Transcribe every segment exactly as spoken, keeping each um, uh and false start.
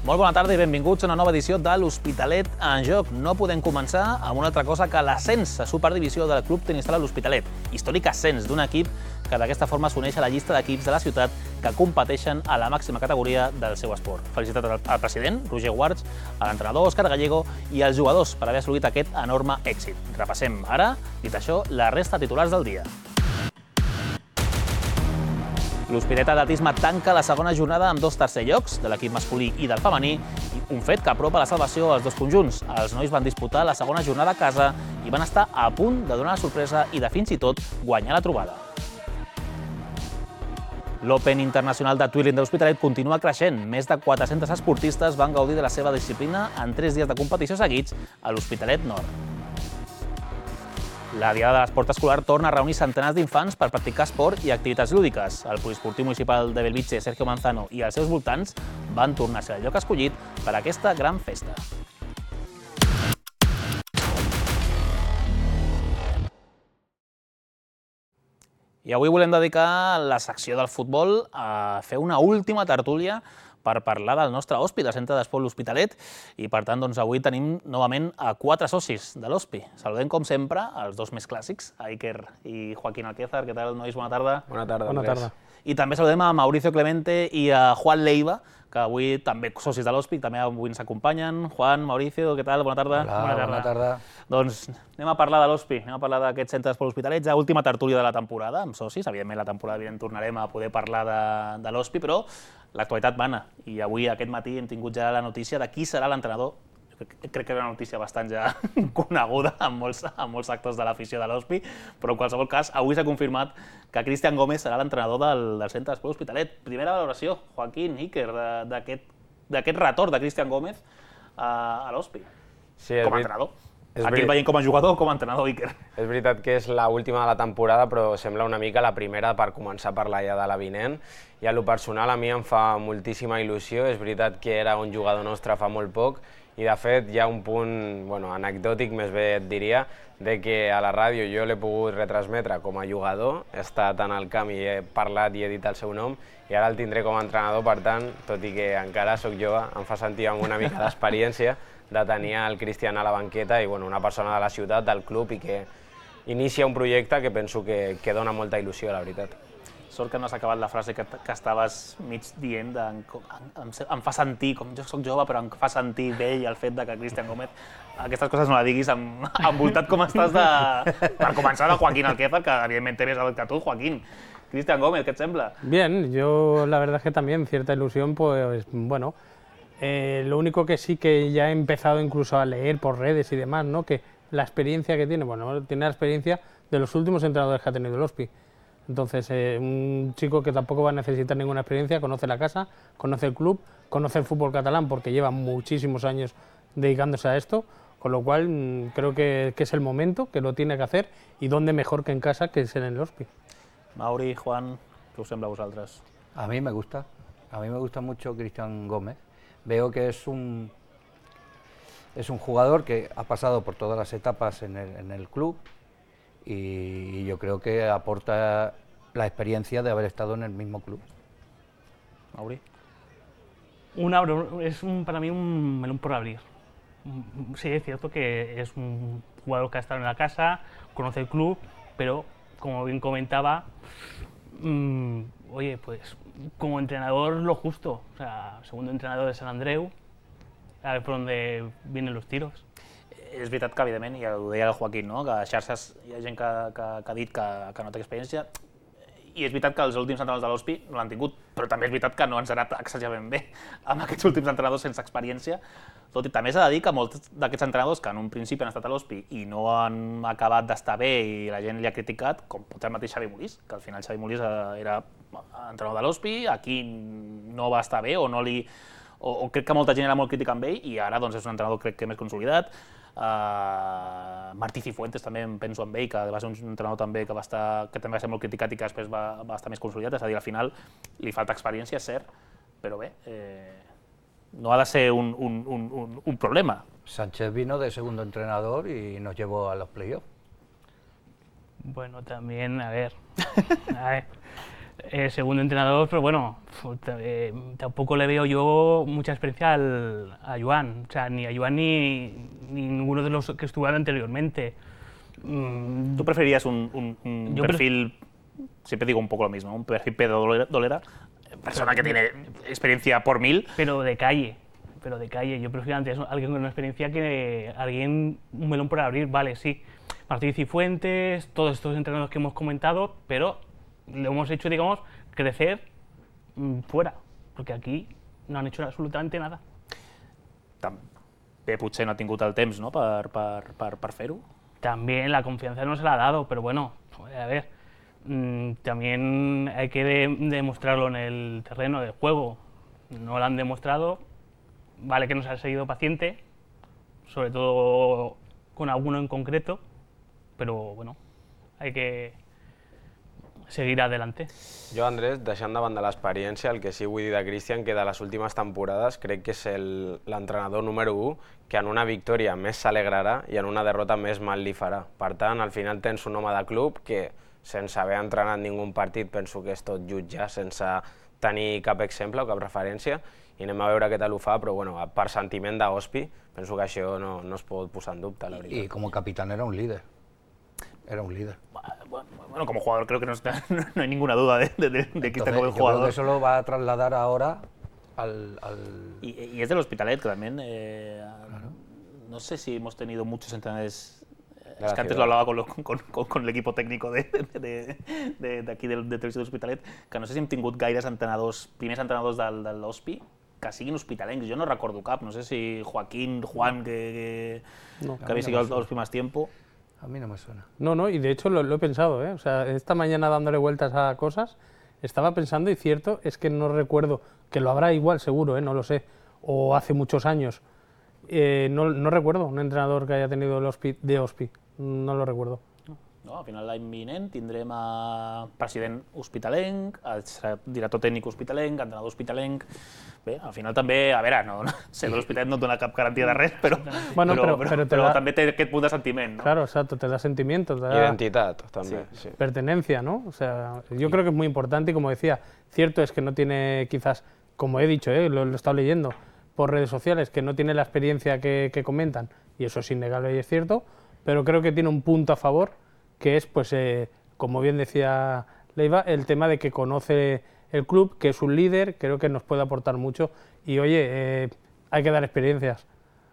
Molt bona tarda i benvinguts a una nova edició de l'Hospitalet en Joc. No podem començar amb una altra cosa que l'ascens a Superdivisió del Club Tenis Sala l'Hospitalet. Històric ascens d'un equip que d'aquesta forma s'uneix a la llista d'equips de la ciutat que competeixen a la màxima categoria del seu esport. Felicitats al president, Roger Guards, a l'entrenador Òscar Gallego i als jugadors per haver assolit aquest enorme èxit. Repassem ara, dit això, la resta de titulars del dia. L'Hospitalet Atletisme tanca la segona jornada amb dos tercer llocs, de l'equip masculí i del femení, un fet que apropa la salvació als dos conjunts. Els nois van disputar la segona jornada a casa i van estar a punt de donar la sorpresa i de fins i tot guanyar la trobada. L'Open Internacional de Twirling de l'Hospitalet continua creixent. Més de quatre-cents esportistes van gaudir de la seva disciplina en tres dies de competició seguits a l'Hospitalet Nord. La Diada de l'Esport Escolar torna a reunir centenars d'infants per practicar esport i activitats lúdiques. El poliesportiu municipal de Belvitge, Sergio Manzano, i els seus voltants van tornar a ser el lloc escollit per a aquesta gran festa. I avui volem dedicar la secció del futbol a fer una última tertúlia per parlar del nostre O S P I, del Centre d'Esport L'Hospitalet, i per tant doncs, avui tenim novament a quatre socis de l'O S P I. Saludem com sempre els dos més clàssics, a Iker i Joaquín Alquézar. Què tal, nois? Bona tarda. Bona tarda. Bona tarda. I també saludem a Mauricio Clemente i a Juan Leiva, que avui també socis de l'O S P I, també avui ens acompanyen. Juan, Mauricio, què tal? Bona tarda. Hola, bona tarda. Bona tarda. Doncs anem a parlar de l'O S P I, anem a parlar d'aquest Centre d'Esport L'Hospitalet, ja última tertúlia de la temporada, amb socis. Evidentment, la temporada vinent tornarem a poder parlar de, de l'O S P I, però l'actualitat mana. I avui, aquest matí, hem tingut ja la notícia de qui serà l'entrenador. Crec que era una notícia bastant ja coneguda en molts, en molts sectors de l'afició de l'O S P I, però en qualsevol cas, avui s'ha confirmat que Cristian Gómez serà l'entrenador del, del Centre d'Esport L'Hospitalet. Primera valoració, Joaquín, Iker, d'aquest retorn de Cristian Gómez a, a l'O S P I, sí, com a entrenador. Aquí el veiem com a jugador o com a entrenador, Iker? És veritat que és l'última de la temporada, però sembla una mica la primera per començar a parlar ja de la vinent. I a lo personal a mi em fa moltíssima il·lusió. És veritat que era un jugador nostre fa molt poc i de fet hi ha un punt bueno, anecdòtic, més bé et diria, de que a la ràdio jo l'he pogut retransmetre com a jugador, he estat en el camp i he parlat i he dit el seu nom, i ara el tindré com a entrenador. Per tant, tot i que encara sóc jove, em fa sentir amb una mica d'experiència de tenir el Cristian a la banqueta i bueno, una persona de la ciutat, del club, i que inicia un projecte que penso que, que dona molta il·lusió, la veritat. Sort que no has acabat la frase que, que estaves mig dient, de, em, em fa sentir, com jo soc jove, però em fa sentir vell el fet de que Cristian Gómez, aquestes coses no la diguis amb, envoltat com estàs de... Per començar, de Joaquín Alquézar, que evidentment té més edat que tu, Joaquín. Cristian Gómez, ¿qué te sembla? Bien, yo la verdad es que también cierta ilusión, pues bueno, eh, lo único que sí que ya he empezado incluso a leer por redes y demás, ¿no? Que la experiencia que tiene, bueno, tiene la experiencia de los últimos entrenadores que ha tenido el O S P I. Entonces, eh, un chico que tampoco va a necesitar ninguna experiencia, conoce la casa, conoce el club, conoce el fútbol catalán porque lleva muchísimos años dedicándose a esto, con lo cual mmm, creo que, que es el momento, que lo tiene que hacer, y dónde mejor que en casa que ser en el O S P I. Mauri, Juan, ¿qué os sembla a vosotros? A mí me gusta, a mí me gusta mucho Cristian Gómez. Veo que es un, es un jugador que ha pasado por todas las etapas en el, en el club y yo creo que aporta la experiencia de haber estado en el mismo club. Mauri. Una, es un, para mí un melón por abrir. Sí, es cierto que es un jugador que ha estado en la casa, conoce el club, pero como bien comentaba, mmm, oye, pues como entrenador lo justo, o sea, segundo entrenador de Sant Andreu, a ver por dónde vienen los tiros. És veritat que, evidentment, i ho deia el Joaquín, no? Que a xarxes hi ha gent que, que, que ha dit que, que no té experiència, i és veritat que els últims entrenadors de l'O S P I no l'han tingut, però també és veritat que no ens ha anat exageradament bé amb aquests últims entrenadors sense experiència. Tot i també s'ha de dir que molts d'aquests entrenadors que en un principi han estat a l'O S P I i no han acabat d'estar bé i la gent li ha criticat, com pot ser el mateix Xavi Molís, que al final Xavi Molís era entrenador de l'O S P I, aquí no va estar bé o no li... O, o crec que molta gent era molt crítica amb ell i ara doncs, és un entrenador crec que més consolidat. Uh, Martí Cifuentes també em penso amb ell, que va ser un entrenador també que, va estar, que també va ser molt criticat i que després va, va estar més consolidat, és a dir, al final li falta experiència, és cert, però bé, eh, no ha de ser un, un, un, un, un problema. Sánchez vino de segundo entrenador y nos llevó a los playoffs. Bueno, también, a ver, a ver, eh, segundo entrenador, pero bueno, eh, tampoco le veo yo mucha experiencia al, a Joan, o sea, ni a Joan ni, ni ninguno de los que estuvieron anteriormente. Mm, ¿Tú preferías un, un, un perfil, siempre digo un poco lo mismo, un perfil Pedro Dolera, Dolera persona que tiene experiencia por mil? Pero de calle, pero de calle. Yo prefiero antes alguien con una experiencia que alguien, un melón por abrir, vale, sí. Martí Cifuentes, todos estos entrenadores que hemos comentado, pero lo hemos hecho, digamos, crecer mmm, fuera, porque aquí no han hecho absolutamente nada. També potser no ha tingut el temps, no?, per, per, per, per fer-ho. También la confianza no se la ha dado, pero bueno, a ver, mmm, también hay que de, demostrarlo en el terreno de juego. No lo han demostrado, vale que nos ha seguido paciente, sobre todo con alguno en concreto, però bueno, hay que seguir adelante. Jo, Andrés, deixant de banda l'experiència, el que sí vull dir de Cristian, que de les últimes temporades crec que és l'entrenador número u que en una victòria més s'alegrarà i en una derrota més mal li farà. Per tant, al final tens un home de club que, sense haver entrenat ningú partit, penso que és tot jutjar, sense tenir cap exemple o cap referència, i anem a veure què tal ho fa, però bueno, per sentiment d'Ospi, penso que això no, no es pot posar en dubte, la veritat. I com a capitán era un líder. Era un líder. Bueno, como jugador creo que no, está, no hay ninguna duda de, de, de, de que está como el yo jugador. Creo que eso lo va a trasladar ahora al... al... Y, y es del Hospitalet, que también, eh, claro. No sé si hemos tenido muchos entrenadores, de es que antes lo hablaba con, lo, con, con, con el equipo técnico de, de, de, de aquí del de Televisió de l'Hospitalet, que no sé si hem tingut gaires entrenadors, primers entrenadors del, de l'Hospi, que siguin hospitalencs. Jo no recordo cap, no sé si Joaquín, Juan, que, que, no, que habéis seguido no l'Hospi más tiempo. A mí no me suena. No, no, y de hecho lo, lo he pensado, ¿eh? O sea, esta mañana dándole vueltas a cosas, estaba pensando, y cierto, es que no recuerdo, que lo habrá igual seguro, ¿eh? No lo sé, o hace muchos años, eh, no, no recuerdo un entrenador que haya tenido el Hospi, de Hospi, no lo recuerdo. No, al final l'any vinent tindrem a president hospitalenc, director tècnic hospitalenc, entrenador hospitalenc. Bé, al final també, a veure, no, ser de l'Hospitalet no et dona cap garantia de res, però, bueno, però, però, però, però, però da... també té aquest punt de sentiment, ¿no? Claro, exacto, te da sentimiento, te da identidad también, sí. Sí. Pertenencia, ¿no? O sea, yo sí. creo que es muy importante y como decía, cierto es que no tiene quizás, como he dicho, ¿eh? lo, lo he estado leyendo por redes sociales, que no tiene la experiencia que, que comentan, y eso es innegable y es cierto, pero creo que tiene un punto a favor, que es, pues, eh, como bien decía Leiva, el tema de que conoce el club, que es un líder, creo que nos puede aportar mucho. Y oye, eh, hay que dar experiencias,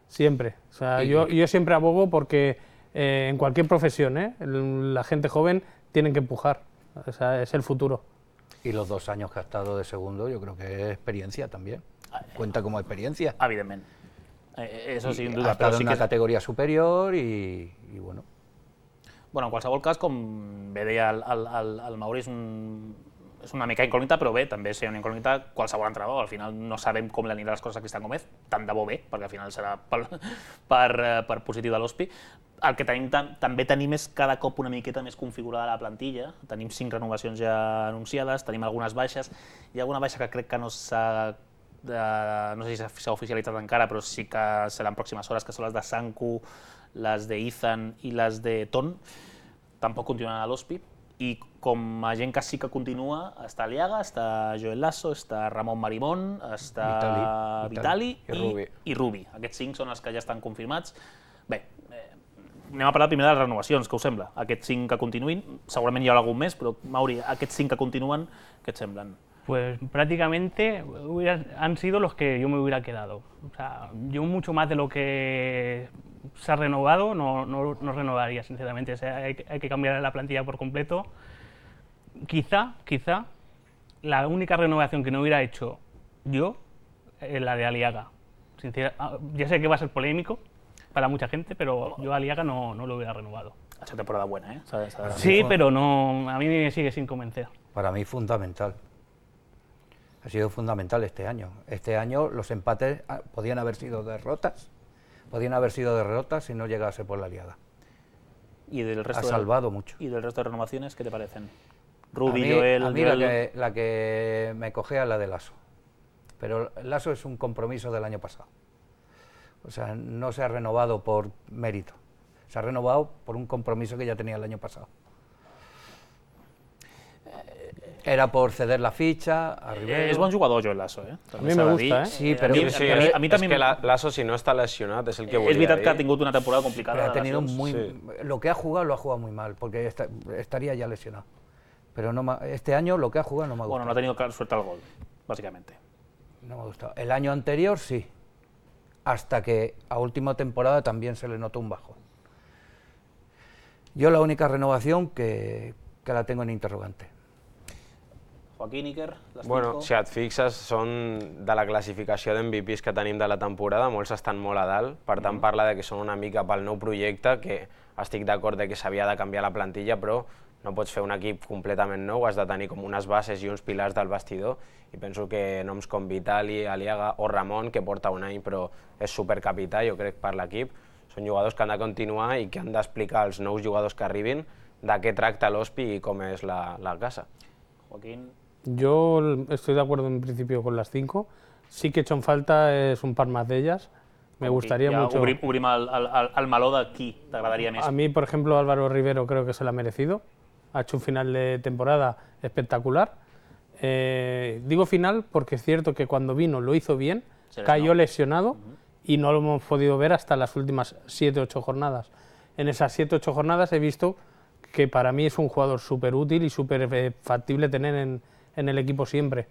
siempre. O sea, y, yo, yo siempre abogo porque eh, en cualquier profesión, ¿eh? la gente joven tiene que empujar, o sea, es el futuro. Y los dos años que ha estado de segundo, yo creo que es experiencia también. Cuenta como experiencia. Evidentment. Eh, eso sin duda. Ha estado però sí en una que... categoría superior y, y bueno. Bueno, en qualsevol cas, com bé deia el, el, el, el Mauri, és, un, és una mica incògnita, però bé, també és una incògnita qualsevol entrenador. Al final no sabem com li aniran les coses a Cristian Gómez, tant de bo bé, perquè al final serà per, per, per positiu de l'Hospi. El que tenim, també tenim és cada cop una miqueta més configurada la plantilla. Tenim cinc renovacions ja anunciades, tenim algunes baixes. Hi ha alguna baixa que crec que no s'ha... no sé si s'ha oficialitzat encara, però sí que seran pròximes hores, que són les de Sanku, les de Ethan i les de Ton. Tampoc continuen a l'Hospi, i com a gent que sí que continua, està Aliaga, està Joel Lasso, està Ramon Marimón, està Vitali, Vitali i, Rubi. i Rubi. Aquests cinc són els que ja estan confirmats. Bé, eh, anem a parlar primer de les renovacions, què us sembla? Aquests cinc que continuïn, segurament hi ha algun més, però Mauri, aquests cinc que continuen, què et semblen? Pues prácticamente hubiera, han sido los que yo me hubiera quedado. O sea, yo mucho más de lo que se ha renovado no, no, no renovaría, sinceramente. O sea, hay, hay que cambiar la plantilla por completo. Quizá, quizá, la única renovación que no hubiera hecho yo es la de Aliaga. Sincer, ya sé que va a ser polémico para mucha gente, pero yo a Aliaga no, no lo hubiera renovado. Ha hecho temporada buena, ¿eh? ¿Sabes? ¿Sabes? Sí, pero no, a mí me sigue sin convencer. Para mí fundamental. Ha sido fundamental este año. Este año los empates podían haber sido derrotas, podían haber sido derrotas si no llegase por la Aliaga. ¿Y del resto ha salvado de, mucho. ¿Y del resto de renovaciones qué te parecen? Rubi, a mí, Joel... A mí Joel... La, que, la que me cogea es la de Lasso. Pero Lasso es un compromiso del año pasado. O sea, no se ha renovado por mérito. Se ha renovado por un compromiso que ya tenía el año pasado. era por ceder la fitxa a Rivero. És bon jugador, Joel Lasso, eh? A mi me gusta, eh? Sí, pero a mi, Sí, a mi, a mi és també... que la- Lasso, si no està lesionat, és el que volia És veritat dir. que ha tingut una temporada complicada. Pero ha de tenido lesions. muy, sí. lo que ha jugado lo ha jugado muy mal, porque esta- estaría ya lesionado. Pero no me- este año lo que ha jugado no me ha Bueno, gustado. no ha tenido suerte al gol, básicamente. No me ha gustado. El año anterior sí, hasta que a última temporada también se le notó un bajo. Yo la única renovación que, que la tengo en interrogante. Joaquín, Iker, les Bueno, cinco. si et fixes, són de la classificació d'M V Ps que tenim de la temporada, molts estan molt a dalt, per tant parla de que són una mica pel nou projecte, que estic d'acord de que s'havia de canviar la plantilla, però no pots fer un equip completament nou, has de tenir com unes bases i uns pilars del vestidor, i penso que noms com Vitali, Aliaga o Ramon, que porta un any però és supercapità, jo crec, per l'equip, són jugadors que han de continuar i que han d'explicar als nous jugadors que arribin de què tracta l'Hospi i com és la, la casa. Joaquín, Yo estoy de acuerdo en principio con las cinco. Sí que he hecho en falta es un par más de ellas. Me gustaría ja mucho. Obrim, obrim el, el, el, el meló de qui t'agradaria més. A mí, por ejemplo, Álvaro Rivero creo que se lo ha merecido. Ha hecho un final de temporada espectacular. Eh, digo final porque es cierto que cuando vino lo hizo bien, Se lesionó. cayó lesionado y no lo hemos podido ver hasta las últimas siete ocho jornadas. En esas siete ocho jornadas he visto que para mí es un jugador súper útil y súper eh, factible tener en, en el equipo siempre.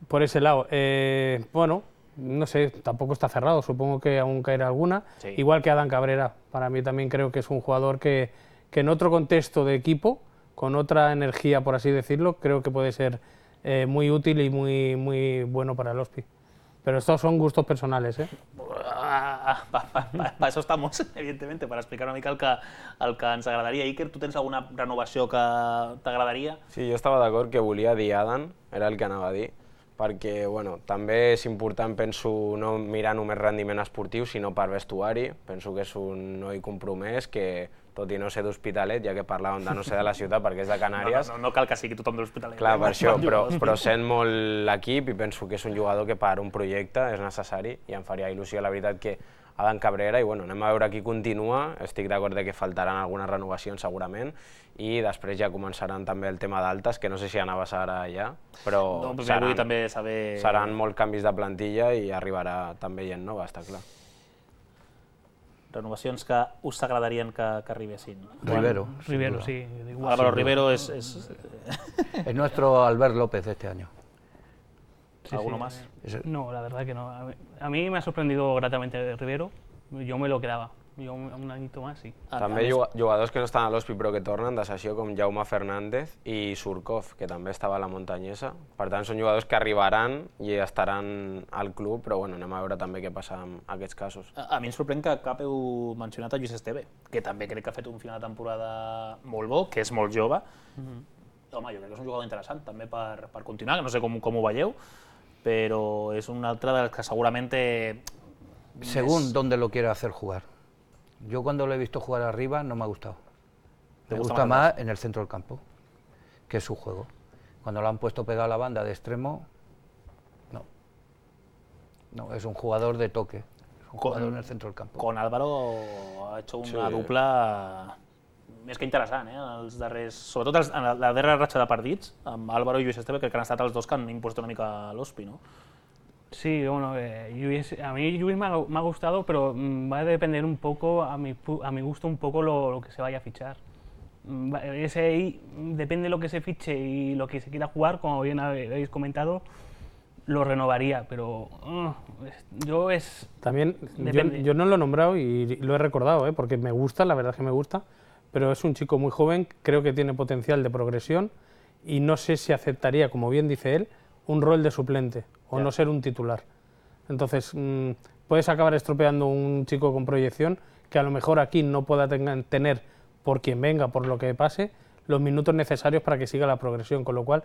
Por ese lado, eh, bueno, no sé, tampoco está cerrado, supongo que aún caerá alguna, Sí. igual que Adán Cabrera. Para mí también creo que es un jugador que, que en otro contexto de equipo, con otra energía, por así decirlo, creo que puede ser eh, muy útil y muy, muy bueno para el Hospi. Pero estos son gustos personales, ¿eh? Ah, pa, pa, pa, pa això estamos, evidentement, per explicar una mica el que, el que ens agradaria. Iker, tu tens alguna renovació que t'agradaria? Sí, jo estava d'acord que volia dir Adan, era el que anava a dir, perquè bueno, també és important, penso, no mirar només rendiment esportiu, sinó per vestuari. Penso que és un noi compromès que, tot i no ser d'Hospitalet, ja que parlàvem de no ser de la ciutat perquè és de Canàries, No, no, no cal que sigui tothom de l'Hospitalet. clar, eh? per això, Bon però, jugador. però sent molt l'equip i penso que és un jugador que per un projecte és necessari i em faria il·lusió, la veritat, que Adán Cabrera, i bueno, anem a veure qui continua, estic d'acord de que faltaran algunes renovacions segurament, i després ja començaran també el tema d'altes, que no sé si anaves ara ja, però No, però seran, vull també saber... seran molts canvis de plantilla i arribarà també gent nova, està clar. Renovacions que us agradarien que, que arribessin. Rivero. sin Rivero, duda. sí. Igual. Álvaro Rivero és... és Es nuestro Albert López de este año. Sí, ¿Alguno sí. más? Es- No, la verdad que no. A mí, a mí me ha sorprendido gratamente Rivero. Yo me lo quedaba. Yo un, un añito más, sí. A- a També més- juga- jugadors que no estan a l'Hospi però que tornen de sessió com Jaume Fernández i Surkov, que també estava a la Muntanyesa. Per tant, són jugadors que arribaran i estaran al club, però bueno, anem a veure també què passa amb aquests casos. A, a mi em sorprèn que cap heu mencionat a Lluís Esteve, que també crec que ha fet un final de temporada molt bo, que és molt jove. Home, jo crec que és un jugador interessant també per, per continuar, que no sé com, com ho veieu, però és un altre dels que segurament té... Según dónde lo quiera hacer jugar. Yo cuando lo he visto jugar arriba no me ha gustado. ¿Te Me gusta gusta más más en el centro del campo, que es su juego. Cuando lo han puesto pegado a la banda de extremo, no. No, es un jugador de toque. Es un Con- jugador en el centro del campo. Con Álvaro ha hecho una Sí. dupla més que interessant, eh? Els darrers, sobretot els, en la, la darrera ratxa de partits, amb Álvaro i Lluís Esteve, crec que han estat els dos que han imposat una mica l'Hospi, no? Sí, bueno, eh, Lluís- a mí Lluís me ha, me ha gustado, pero mm, va a depender un poco, a mi, pu- a mi gusto, un poco lo, lo que se vaya a fichar. Mm, va- Ese ahí, mm, depende de lo que se fiche y lo que se quiera jugar, como bien habéis comentado, lo renovaría, pero uh, es- yo es... También, yo, Depende. yo no lo he nombrado y lo he recordado, ¿eh? Porque me gusta, la verdad es que me gusta, pero es un chico muy joven, creo que tiene potencial de progresión y no sé si aceptaría, como bien dice él, un rol de suplente o Ya. no ser un titular. Entonces, mm, puedes acabar estropeando un chico con proyección que a lo mejor aquí no pueda tenga- tener, por quien venga, por lo que pase, los minutos necesarios para que siga la progresión, con lo cual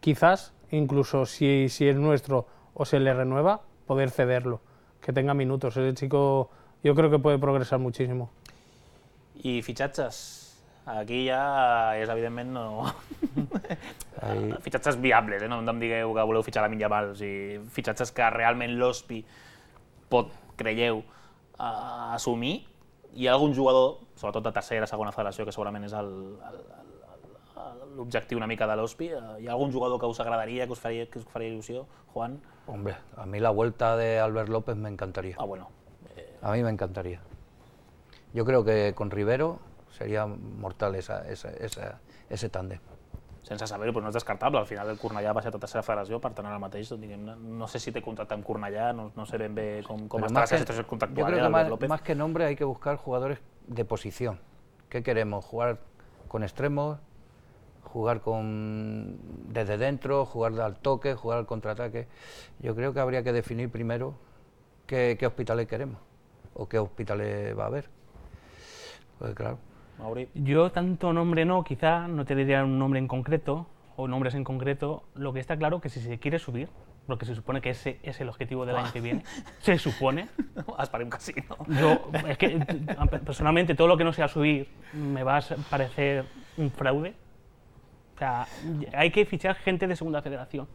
quizás, incluso si, si es nuestro o se le renueva, poder cederlo, que tenga minutos. Ese chico yo creo que puede progresar muchísimo. I fitxatges? Aquí ja és, evidentment, no... Ahí- fitxatges viables, eh? No em digueu que voleu fitxar la Minyamal, o sigui, fitxatges que realment l'Hospi pot, creieu, uh, assumir. Hi ha algun jugador, sobretot de tercera, segona federació, que segurament és el, el, el, l'objectiu una mica de l'Hospi. Hi ha algun jugador que us agradaria, que us faria, que us faria il·lusió, Juan? Hombre, a mí la vuelta de Albert López me encantaría. Ah, bueno. A mí me encantaría. Yo creo que con Rivero sería mortal esa, esa, esa, ese tándem. Sense saber-ho, però no és descartable. Al final el Cornellà va ser a tercera federació, per tant ara mateix, diguem-ne, no sé si té contracte amb Cornellà, no, no sé ben bé com, com està la situació contractual. Yo creo eh, que más, López. más que nombre hay que buscar jugadores de posición. ¿Qué queremos? ¿Jugar con extremos? ¿Jugar con desde dentro? ¿Jugar al toque? ¿Jugar al contraataque? Yo creo que habría que definir primero qué, qué hospitales queremos o qué hospitales va a haber. Pues claro. Mauri. Yo tanto nombre no, quizá no te diría un nombre en concreto, o nombres en concreto. Lo que está claro que si se quiere subir, porque se supone que ese es el objetivo del año que viene, se supone. Esperem que sí, no? Yo, es que personalmente todo lo que no sea subir me va a parecer un fraude. O sea, hay que fichar gente de segunda federación.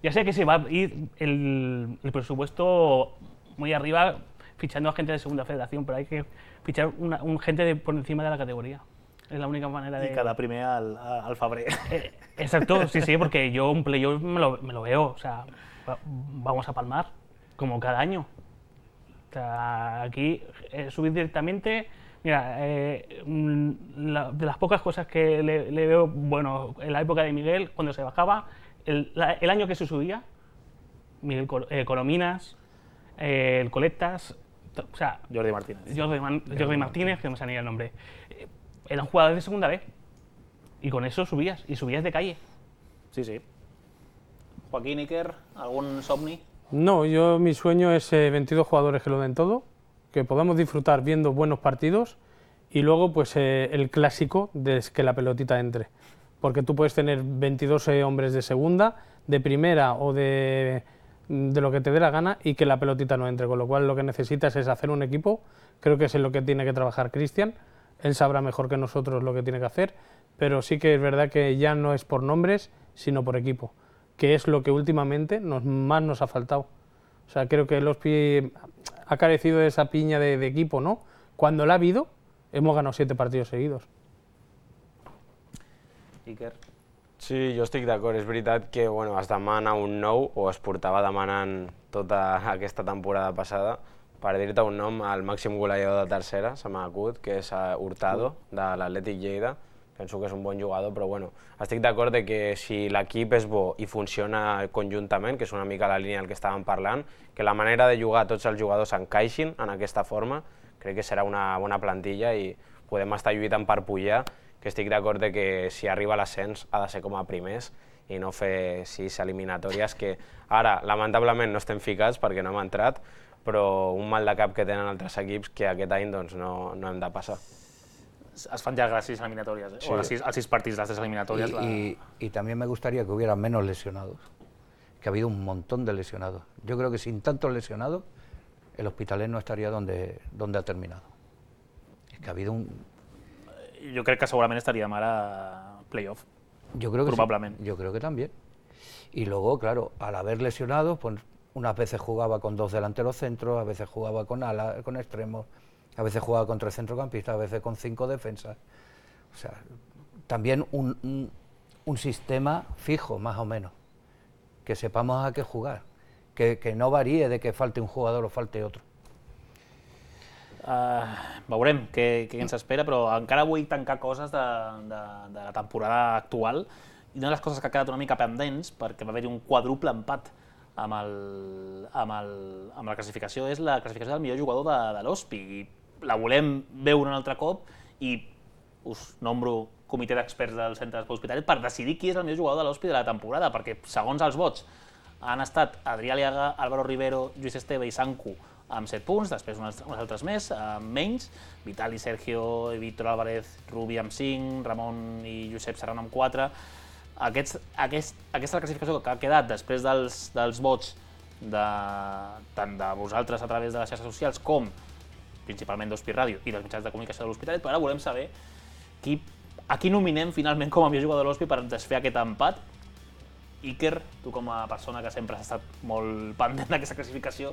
Ya sé que se va a ir el, el presupuesto muy arriba fichando a gente de segunda federación, pero hay que fichar una, un gente de, por encima de la categoría. Es la única manera de... I quedar primer al, al febrer. Eh, exacto, sí, sí, porque yo un playoff me lo, me lo veo, o sea, va, vamos a palmar, como cada año. O sea, aquí eh, subir directamente, mira, eh, la, de las pocas cosas que le, le veo, bueno, en la época de Miguel, cuando se bajaba, el, la, el año que se subía, Miguel Col, eh, Colominas, eh, el Coletas, o sea, Jordi Martínez. Jordi, Man, Jordi Martínez, que no me salía el nombre, eh, eran jugadores de segunda B, y con eso subías, y subías de calle. Sí, sí. Joaquín, Iker, ¿algún somni? No, yo mi sueño es eh, veintidós jugadores que lo den todo, que podamos disfrutar viendo buenos partidos y luego pues eh, el clásico de que la pelotita entre. Porque tú puedes tener veintidós eh, hombres de segunda, de primera o de, de lo que te dé la gana y que la pelotita no entre. Con lo cual lo que necesitas es hacer un equipo, creo que es en lo que tiene que trabajar Cristian, él sabrá mejor que nosotros lo que tiene que hacer, pero sí que es verdad que ya no es por nombres, sino por equipo, que es lo que últimamente nos, más nos ha faltado. O sea, creo que el Hospi ha carecido de esa piña de, de equipo, ¿no? Cuando la ha habido, hemos ganado siete partidos seguidos. Iker. Sí, jo estic d'acord. És veritat que bueno, es demana un nou, o es portava demanant tota aquesta temporada passada. Per dir-te un nom, el màxim golejador de tercera, se m'ha acut, que és Hurtado, de l'Atlètic Lleida. Penso que és un bon jugador, però bueno, estic d'acord de que si l'equip és bo i funciona conjuntament, que és una mica la línia del que estàvem parlant, que la manera de jugar tots els jugadors encaixin en aquesta forma, crec que serà una bona plantilla i podem estar lluitant per pujar, que estic d'acord de que si arriba l'ascens ha de ser com a primers i no fer sis eliminatòries que ara, lamentablement, no estem ficats perquè no hem entrat, però un mal de cap que tenen altres equips que aquest any doncs, no, no hem de passar. Es fan ya las seis eliminatorias, ¿eh? Sí. O las seis, las seis partidos, las tres eliminatorias. Y, la... y, y también me gustaría que hubiera menos lesionados, que ha habido un montón de lesionados. Yo creo que sin tantos lesionados, el Hospitalet no estaría donde, donde ha terminado. Es que ha habido un... Yo creo que seguramente estaríem ara playoff. Yo creo que Probablement. sí, yo creo que también. Y luego, claro, al haber lesionados, pues unas veces jugaba con dos delanteros centros, a veces jugaba con alas, con extremos, a veces jugaba con tres centrocampistas, a veces con cinco defensas. O sea, también un, un, un sistema fijo, más o menos, que sepamos a qué jugar, que, que no varíe de que falte un jugador o falte otro. Uh, veurem què, què ens espera, però encara vull tancar coses de, de, de la temporada actual i una de les coses que ha quedat una mica pendents, perquè va haver-hi un quadruple empat amb, el, amb, el, amb la classificació, és la classificació del millor jugador de, de l'Hospi. I la volem veure un altre cop i us nombro comitè d'experts del Centre d'Esport Hospitalet per decidir qui és el millor jugador de l'Hospi de la temporada, perquè segons els vots han estat Adrià Aliaga, Álvaro Rivero, Lluís Esteve i Sanku amb set punts, després uns, uns altres més, amb menys, Vitali, Sergio, Víctor Álvarez, Rubi amb cinc, Ramon i Josep Serrano amb quatre. Aquests, aquest, aquesta és la classificació que ha quedat després dels, dels vots de, tant de vosaltres a través de les xarxes socials com principalment d'Hospi Ràdio i dels mitjans de comunicació de l'Hospitalet, però ara volem saber qui, a qui nominem finalment com a millor jugador de l'Hospi per desfer aquest empat. Iker, tu com a persona que sempre has estat molt pendent d'aquesta classificació,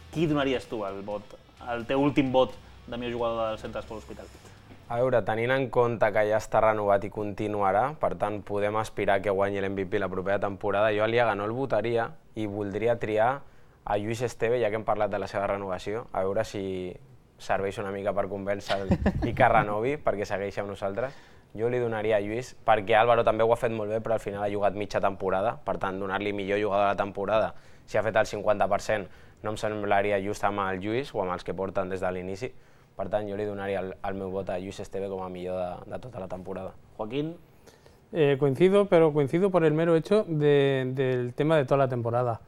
qui donaries tu el vot, el teu últim vot de millor jugador del Centre d'Esport Hospitalet? A veure, tenint en compte que ja està renovat i continuarà, per tant podem aspirar que guanyi l'M V P la propera temporada, jo a Liaga no el votaria i voldria triar a Lluís Esteve, ja que hem parlat de la seva renovació, a veure si serveix una mica per convèncer-lo i que renovi, perquè segueixi amb nosaltres. Jo li donaria a Lluís, perquè Álvaro també ho ha fet molt bé, però al final ha jugat mitja temporada, per tant, donar-li millor jugador de la temporada, si ha fet el cinquanta per cent, no em semblaria just amb el Lluís o amb els que porten des de l'inici. Per tant, jo li donaria el, el meu vot a Lluís Esteve com a millor de, de tota la temporada. Joaquín. Eh, coincido, pero coincido por el mero hecho de, del tema de toda la temporada.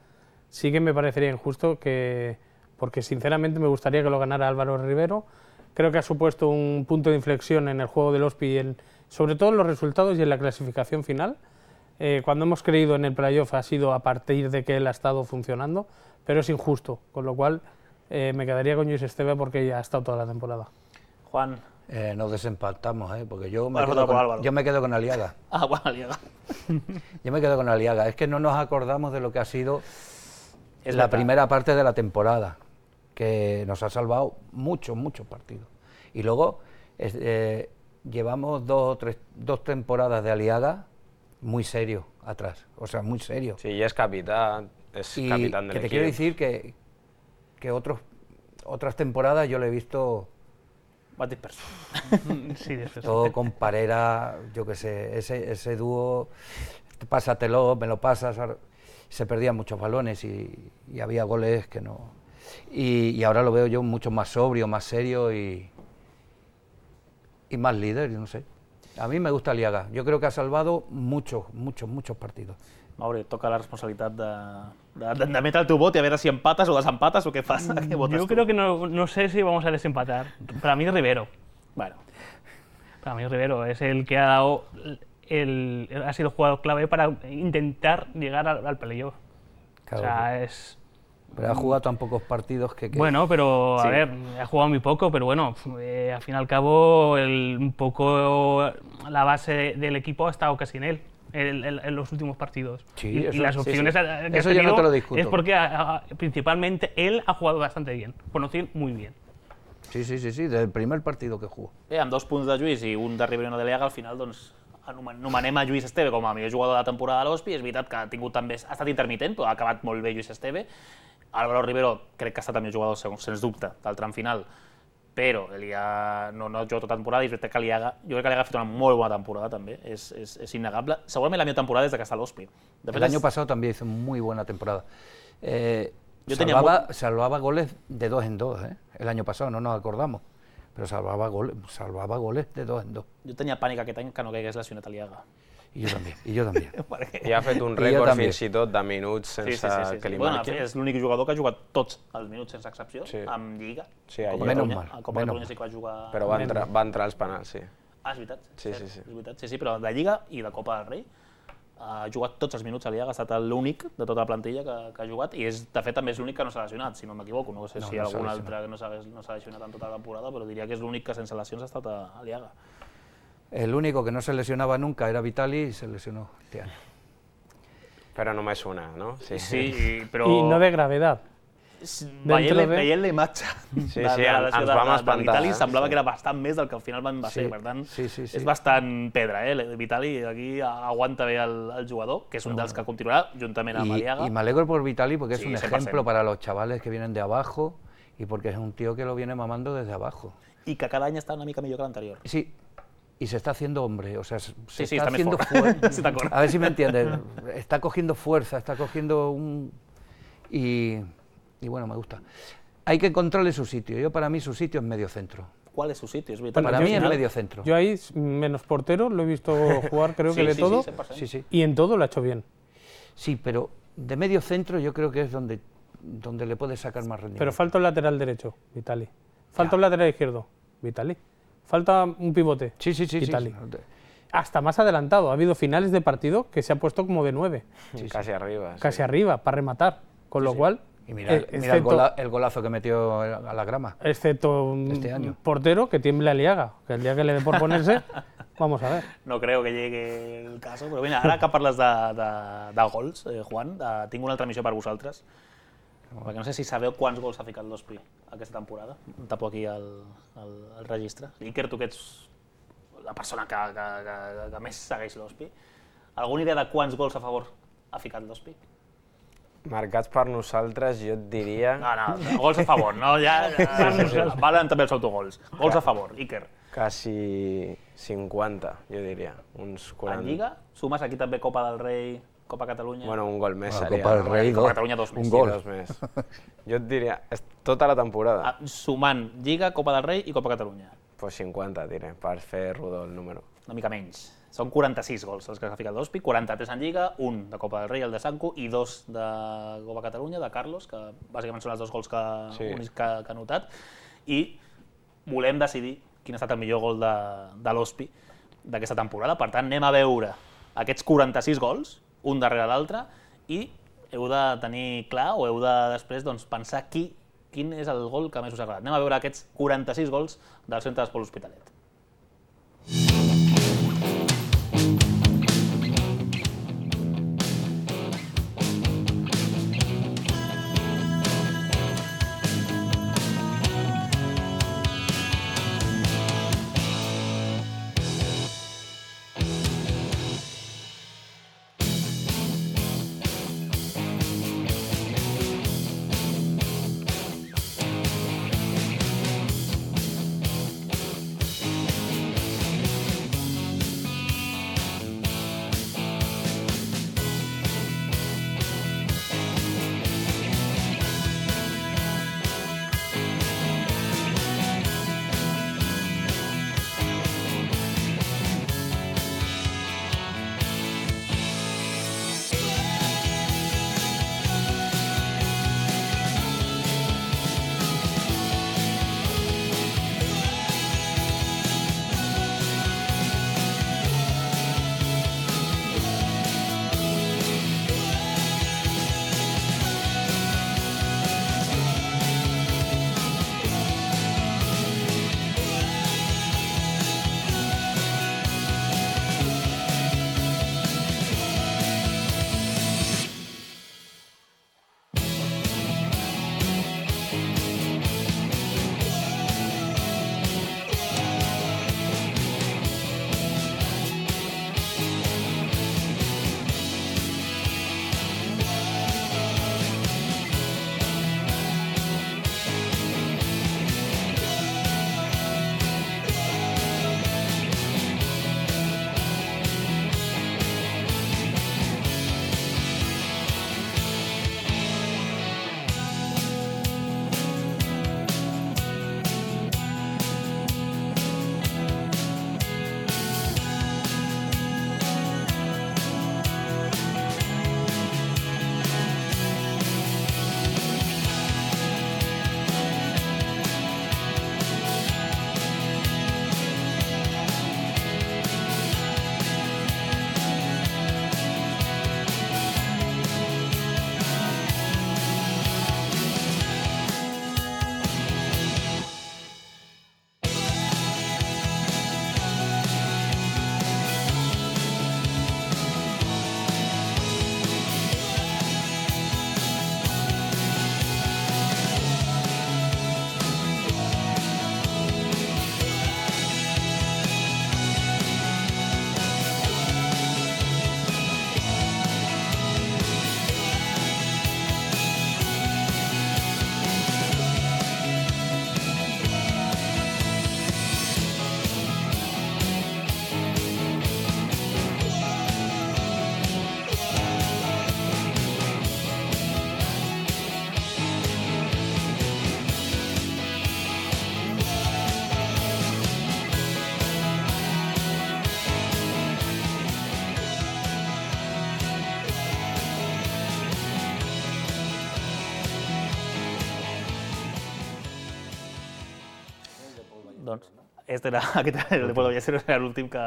Sí que me parecería injusto que, porque sinceramente me gustaría que lo ganara Álvaro Rivero. Creo que ha supuesto un punto de inflexión en el juego del Ospi, en, sobre todo en los resultados y en la clasificación final. Eh, cuando hemos creído en el playoff ha sido a partir de que él ha estado funcionando, pero es injusto, con lo cual eh, me quedaría con Lluís Esteve porque ya ha estado toda la temporada. Juan. Eh, nos desempatamos, ¿eh? Porque yo me, Álvaro, quedo con, Álvaro. yo me quedo con Aliaga. Ah, bueno, Aliaga. Yo me quedo con Aliaga. Es que no nos acordamos de lo que ha sido Es la verdad. primera parte de la temporada, que nos ha salvado muchos, muchos partidos. Y luego es, eh, llevamos dos, o tres, dos temporadas de Aliaga muy serio atrás, o sea, muy serio. Sí, i és capità, és Y capitán del que te equipo. quiero decir que, que otros, otras temporadas yo le he visto Vas disperso. Sí, després. todo con Parera, yo qué sé, ese, ese dúo, pásatelo, me lo pasas, ahora- se perdían muchos balones y, y había goles que no... Y, y ahora lo veo yo mucho más sobrio, más serio y, y más líder, no sé. A mí me gusta Aliaga, yo creo que ha salvado muchos, muchos, muchos partidos. Mauri, et toca la responsabilitat de, de, de, de metre el teu vot i a veure si empates o desempates o què fas. Què votes Yo tu? creo que no, no sé si vamos a desempatar. Para mí Rivero. Bueno, Para mí Rivero es el que ha dado el, el- ha sido el jugador clave para intentar llegar al, al playoff. Claro, o sea, es pero ha jugado tan pocos partidos que... que- bueno, pero a Sí. ver, ha jugado muy poco, pero bueno, eh, al fin y al cabo el- un poco la base del equipo ha estado casi en él. En, en- en los últimos partidos. Sí, y, y eso- las sí, opciones sí. a- que Eso ha yo no tenido te lo discuto. es porque a- a- principalmente él ha jugado bastante bien, conocido muy bien. Sí, sí, sí, sí, del primer partido que jugó. bé, amb dos punts de Lluís i un de Rivero i no de Liaga, al final doncs, anomen- anomenem a Lluís Esteve com a millor jugador de la temporada de l'Hospi. És veritat que ha tingut també, ha estat intermitent, però ha acabat molt bé Lluís Esteve. Álvaro Rivero crec que ha estat el millor jugador, segons, sens dubte, del tram final, però Liaga no, no juga tota temporada i és veritat que Liaga, jo crec que Liaga ha fet una molt bona temporada també, és, és, és innegable. Segurament la millor temporada des de que està a l'Hospi. De El fet, año és- pasado también hizo muy buena temporada. Eh, Yo tenía salvaba, salvaba goles de dos en dos, ¿eh? El año pasado, no nos acordamos. Pero salvaba goles, salvaba goles de dos en dos. Jo tenia pànic aquest any que no caigués lesionat a Liaga. Y yo también, y yo también. Perquè... I ha fet un I jo rècord també. fins i tot de minuts Sí, sense sí, sí, sí, que sí. li Bueno, marquin. és l'únic jugador que ha jugat tots els minuts sense excepció, Sí. amb Lliga. Sí, a a Copa Lliga. Catalunya, Menys mal, a Copa menys Catalunya mal. sí que va jugar... Però va entrar, va entrar als penals, sí. Ah, és veritat. Sí, cert, sí, sí. És veritat. Sí, sí, però de Lliga i de Copa del Rei ha jugat tots els minuts a Liaga, ha estat l'únic de tota la plantilla que, que ha jugat i és, de fet també és l'únic que no s'ha lesionat, si no m'equivoco. No sé No, si no s'ha algun lesionat. altre que no s'ha no s'ha lesionat en tota la temporada, però diria que és l'únic que sense lesions ha estat a, a Liaga. El único que no se lesionaba nunca era Vitali y se lesionó este año. Però només una, no? Sí, i, però... Y no de gravedad. Veient, de- veient la imatge Sí, de, sí, de la ens lesió de, vam de, de espantar, Vitali eh? semblava Sí. que era bastant més del que al final van va ser, Sí, per tant sí, sí, sí. és bastant pedra, eh? El Vitali aquí aguanta bé el, el jugador, que és un dels que continuarà juntament amb Y, Aliaga. y me alegro por Vitali porque Sí, es un cien por ciento. ejemplo para los chavales que vienen de abajo y porque es un tío que lo viene mamando desde abajo. I que cada any està una mica millor que l'anterior. Sí, y se está haciendo hombre, o sea, se Sí, sí, está está haciendo mejor. fuerte. Sí, d'acord. A ver si me entiendes. Está cogiendo fuerza, está cogiendo un... Y, y bueno, me gusta. Hay que encontrarle su sitio. Yo para mí su sitio es medio centro. ¿Cuál es su sitio? És veritat. Para Al mí es final- medio centro. Yo ahí, menos portero, lo he visto jugar creo que Sí, de sí, sí, todo, cien por ciento. Sí, sí. y en todo lo ha hecho bien. Sí, pero de medio centro yo creo que es donde, donde le puedes sacar más rendimiento. Pero falta un lateral derecho, Vitali. Falta un lateral izquierdo, Vitali. Falta un pivote, Sí, sí, sí. sí. Vitali. Hasta más adelantado. Ha habido finales de partido que se ha puesto como de nueve, Casi arriba. sí. casi arriba, para rematar. Con lo cual, Y mira, el, eh, mira el, excepto, gola- el golazo que metió a la grama. excepto un este año. portero que tiemble a Liaga, que el día que le dé por ponerse, vamos a ver. No creo que llegue el cas, però mira, ara que parles de, de, de gols, eh, Juan, de, tinc una altra missió per vosaltres, perquè no sé si sabeu quants gols ha ficat l'Ospi aquesta temporada. Em tapo aquí el, el, el registre. Iker, tu que ets la persona que, que, que, que més segueix l'Hospi. Alguna idea de quants gols a favor ha ficat l'Hospi? Marcats per nosaltres, jo et diria... No, no, gols a favor, no? Ja, ja valen també els autogols. Gols a favor, Iker. Quasi cinquanta, jo diria. Uns quaranta. En Lliga? Sumes aquí també Copa del Rei, Copa Catalunya? Bueno, un gol més La seria. Copa del no? Rei, Copa dos. Catalunya, dos més. Un gol. Dos més. Jo et diria, és tota la temporada. Ah, sumant Lliga, Copa del Rei i Copa Catalunya. Pues cinquanta, diré, per fer rodó el número. Una mica menys. Són quaranta-sis gols els que ha ficat l'Hospi, quaranta-tres en Lliga, un de Copa del Rei, el de Sanco, i dos de Copa Catalunya, de Carlos, que bàsicament són els dos gols que, Sí. únics que, que ha notat. I volem decidir quin ha estat el millor gol de, de l'Hospi d'aquesta temporada. Per tant, anem a veure aquests quaranta-sis gols, un darrere l'altre, i heu de tenir clar, o heu de després doncs, pensar qui, quin és el gol que més us ha agradat. Anem a veure aquests quaranta-sis gols del Centre d'Esport L'Hospitalet. Doncs este era, aquest era el de Pol Ballester, era l'últim que...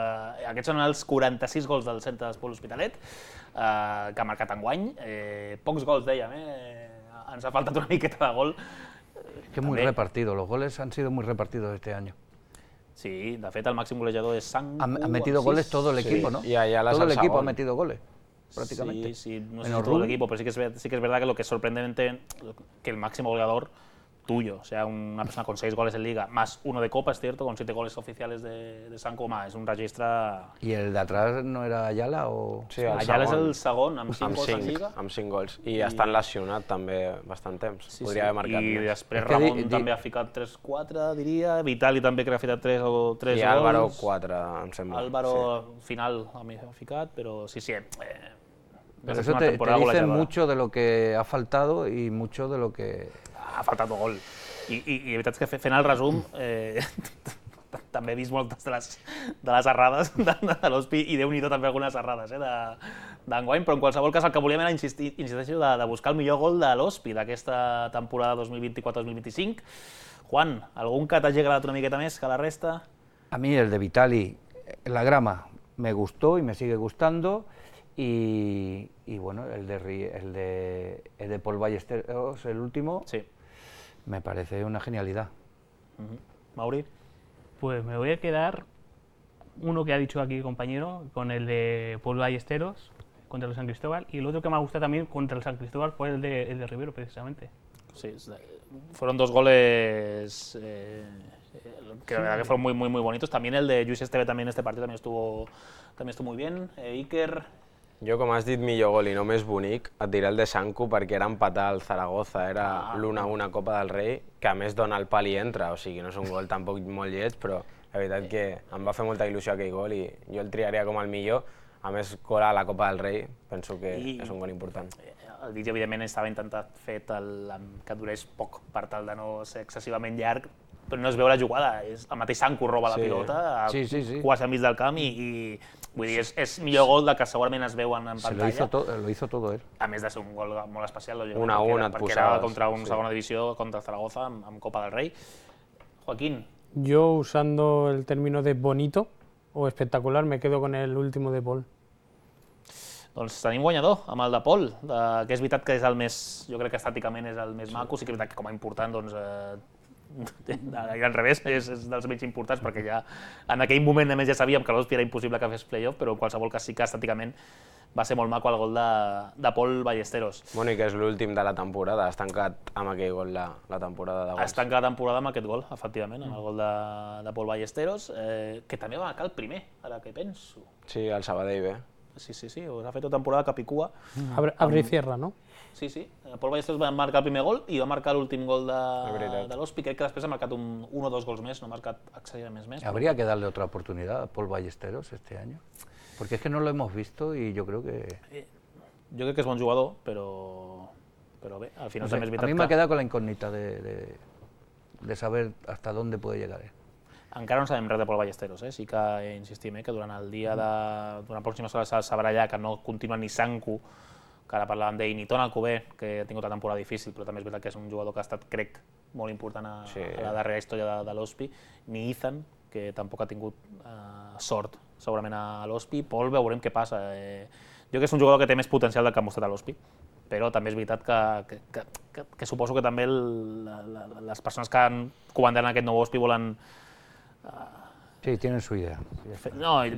Aquests són els quaranta-sis gols del Centre d'Esport L'Hospitalet, eh, que ha marcat enguany. Eh, pocs gols, dèiem, eh? Ens ha faltat una miqueta de gol. Que muy També. repartido, los goles han sido muy repartidos este año. Sí, de fet el màxim golejador és Sanco. Ha, ha metido amb goles sis. todo el Sí, equipo, ¿no? y allá la todo el salsa equipo ha gol. metido goles, prácticamente. Sí, sí, no sé Menos si todo el Rubí. equipo, pero sí que, es, ver- sí que es verdad que lo que es sorprendente, que el máximo goleador tuyo. O sea, una persona con seis goles en Liga, más uno de Copa, es cierto, con siete goles oficiales de, de Sanco, home, és un registre... ¿Y el de atrás no era Ayala o...? Sí, el Ayala és segon. el segon, amb cinc Amb gols en cinc, Lliga. amb cinc gols. I està lesionat també bastant temps. Sí, Podria sí. haver marcat I més. després És que Ramon di- di- també ha ficat tres quatre, diria. Vitali també crec que ha ficat tres o tres I gols. Álvaro quatre, em sembla. Álvaro Sí. final ha ficat, però sí, sí. Eh, Pero és eso una te, te temporada dice golejadora. mucho de lo que ha faltado y mucho de lo que... Ha faltat un gol. I, i, i la veritat és que fe- fent el resum, eh, també he vist moltes de les, de les errades de, de l'Hospi i Déu-n'hi-do també algunes errades eh, d'enguany, però en qualsevol cas el que volíem era insistir, insisteixo, de, de buscar el millor gol de l'Hospi d'aquesta temporada dos mil vint-i-quatre dos mil vint-i-cinc. Juan, algun que t'hagi agradat una miqueta més que la resta? A mí el de Vitali, la grama, me gustó y me sigue gustando. Y, y bueno, el de, Ri- el de, el de Paul Ballesteros, el último, Sí. me parece una genialidad. Uh-huh. Mauri? Pues me voy a quedar uno que ha dicho aquí el compañero, con el de Paul Ballesteros contra el San Cristóbal, y el otro que me ha gustado también contra el San Cristóbal fue el de, el de Rivero, precisamente. Sí, es de- fueron dos goles eh, que la verdad que fueron muy, muy, muy bonitos. También el de Lluís Esteve también este partido también estuvo, también estuvo muy bien. Eh, Iker, Jo, com has dit, millor gol i no més bonic, et diré el de Sanco perquè era empatar al Zaragoza, era Ah. l'u a u a Copa del Rei, que a més dona el pal i entra, o sigui, no és un gol tampoc molt lleig, però la veritat que em va fer molta il·lusió aquell gol i jo el triaria com el millor. A més, gol a la Copa del Rei, penso que I- és un gol important. el vídeo evidentment estava intentat fet el, amb- que durés poc per tal de no ser excessivament llarg, però no es veu la jugada, és el mateix Sanco roba la Sí. pilota a, Sí, sí, sí. quasi al mig del camp i, i vull dir, és, és millor gol del que segurament es veuen en Se lo pantalla. hizo, to- lo hizo todo él. A més de ser un gol molt especial, lògicament, Un a perquè un era- et perquè era posaves, contra un sí. segona divisió, contra el Zaragoza, amb, amb Copa del Rei. Joaquín, Yo, usando el término de bonito o espectacular, me quedo con el último de Paul. doncs tenim guanyador amb el de Pol, de, que és veritat que és el més, jo crec que estàticament és el més maco, sí que és veritat que com a important, doncs, eh, al revés, és, és dels menys importants, perquè ja en aquell moment a més ja sabíem que l'Hospi era impossible que fes playoff, però en qualsevol cas sí que estàticament va ser molt maco el gol de, de Pol Ballesteros. Bueno, i que és l'últim de la temporada, has tancat amb aquell gol la, la temporada de gols. Es tanca la temporada amb aquest gol, efectivament, amb el gol de, de Pol Ballesteros, eh, que també va marcar el primer, ara que penso. Sí, el Sabadell bé. Sí, sí, sí, ha fet una temporada capicua. Abre, abre y cierra, ¿no? Sí, sí, eh, Pol Ballesteros va marcar el primer gol i va marcar l'últim gol de, veritat. de l'Hospi, crec que després ha marcat un, un o dos gols més, no ha marcat excessivament més. Habría que darle otra oportunidad a Paul Ballesteros este año, porque es que no lo hemos visto y yo creo que... Jo crec que és bon jugador, però, però bé, al final no sé, també és a veritat mí me ha que quedado con la incógnita de, de, de saber hasta dónde puede llegar él. encara no sabem res de Pol Ballesteros, eh? Sí que eh, insistim eh, que durant el dia de... durant pròximes hores es sabrà ja que no continua ni Sanco, que ara parlàvem d'ell, ni Ton Alcover, que ha tingut una temporada difícil, però també és veritat que és un jugador que ha estat, crec, molt important a, Sí. a la darrera història de, de l'Hospi, ni Ethan, que tampoc ha tingut eh, sort segurament a l'Hospi. Pol veurem què passa. Eh, jo crec que és un jugador que té més potencial del que ha mostrat a l'Hospi, però també és veritat que, que, que, que, que suposo que també el, la, la, les persones que han comandat aquest nou Hospi volen... Sí, tienen su idea. Fe- No, és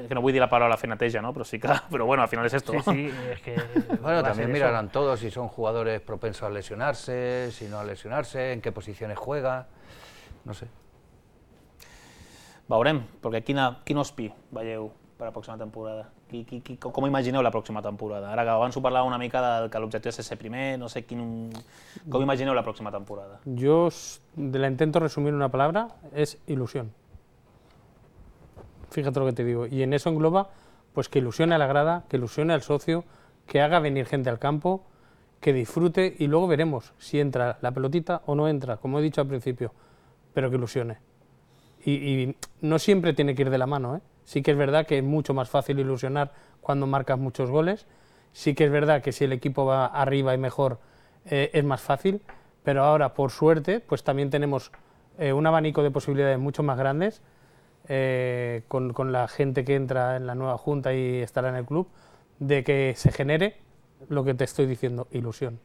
que no vull dir la paraula fer neteja, no? Però sí que... Però bueno, al final és esto. Sí, sí, es que... Bueno, va a ser también eso. mirarán todos si son jugadores propensos a lesionarse, si no a lesionarse, en qué posiciones juega, no sé. Veurem, perquè quina, quin Hospi veieu per a la pròxima temporada? Qui, qui, qui, com imagineu la pròxima temporada? Ara que abans ho parlàvem una mica del que l'objectiu és ser primer, no sé quin... Com imagineu la pròxima temporada? Yo s- de la intento resumir en una palabra, es ilusión. Fíjate lo que te digo. Y en eso engloba pues que ilusione a la grada, que ilusione al socio, que haga venir gente al campo, que disfrute y luego veremos si entra la pelotita o no entra, como he dicho al principio, pero que ilusione. Y, y no siempre tiene que ir de la mano, ¿eh? Sí que es verdad que es mucho más fácil ilusionar cuando marcas muchos goles, sí que es verdad que si el equipo va arriba y mejor eh, es más fácil, pero ahora por suerte pues también tenemos eh, un abanico de posibilidades mucho más grandes eh, con, con la gente que entra en la nueva junta y estará en el club, de que se genere lo que te estoy diciendo, ilusión.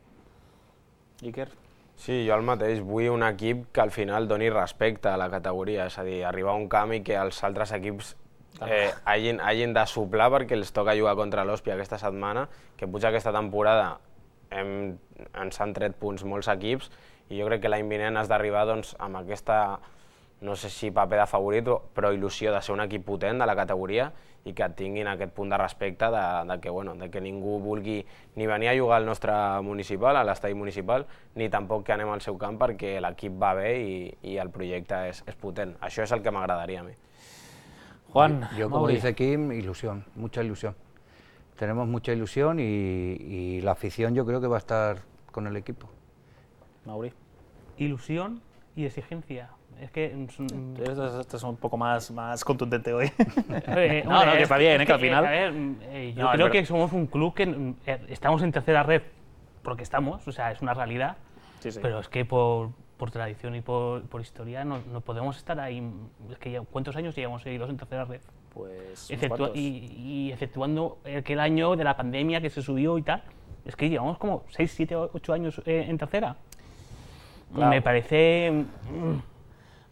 Iker? Sí, jo el mateix. Vull un equip que al final doni respecte a la categoria, és a dir, arribar a un camp i que els altres equips eh, hagin, hagin de soplar perquè els toca jugar contra l'Hospi aquesta setmana, que potser aquesta temporada hem, ens han tret punts molts equips i jo crec que l'any vinent has d'arribar doncs, amb aquesta, no sé si paper de favorit, però il·lusió de ser un equip potent de la categoria i que tinguin aquest punt de respecte de, de, que, bueno, de que ningú vulgui ni venir a jugar al nostre municipal, a l'estadi municipal, ni tampoc que anem al seu camp perquè l'equip va bé i, i el projecte és, és potent. Això és el que m'agradaria a mi. Juan, yo, como Mauri. dice Kim, ilusión, mucha ilusión. Tenemos mucha ilusión y, y la afición yo creo que va a estar con el equipo. Mauri. Ilusión y exigencia. Es que... mm, Esto es un poco más, más contundente hoy. Eh, No, hombre, no, que es está bien, es ¿eh? Que al final- A ver, eh, yo No, es creo verdad. que somos un club que mm, eh, estamos en tercera red, porque estamos, o sea, es una realidad, Sí, sí. pero es que por, por tradición y por, por historia no, no podemos estar ahí. Es que ya, ¿cuántos años llevamos seguidos en tercera red? Pues unos Exceptua- cuantos. y, y exceptuando aquel año de la pandemia que se subió y tal, es que llevamos como seis, siete, ocho años eh, en tercera. Claro. Me parece... mm,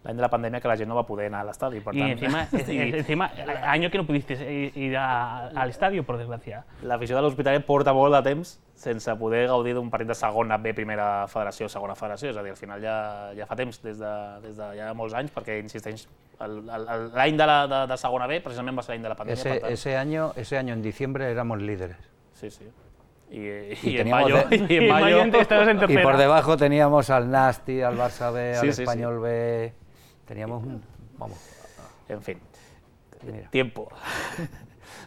L'any de la pandèmia que la gent no va poder anar a l'estadi, per Y tant... encima, sí, encima, año que no pudiste ir a- al estadio, por desgracia. l'afició de l'Hospitalet porta molt de temps sense poder gaudir d'un partit de segona B, primera federació, segona federació, és a dir, al final ja, ja fa temps, des de, des de ja molts anys, perquè, insisteix, el- el- l'any de, la, de, de segona B precisament va ser l'any de la pandèmia, Ese, per tant... ese, año, ese año, en diciembre, éramos líderes. Sí, sí. I, Y i, en teníamos mayo, de- i en Y mayo... mayo estabas en Y tercera. por debajo teníamos al Nasti, al Barça B, Sí, al sí, Español B. Teníamos un. Vamos. En fin, Mira. tiempo.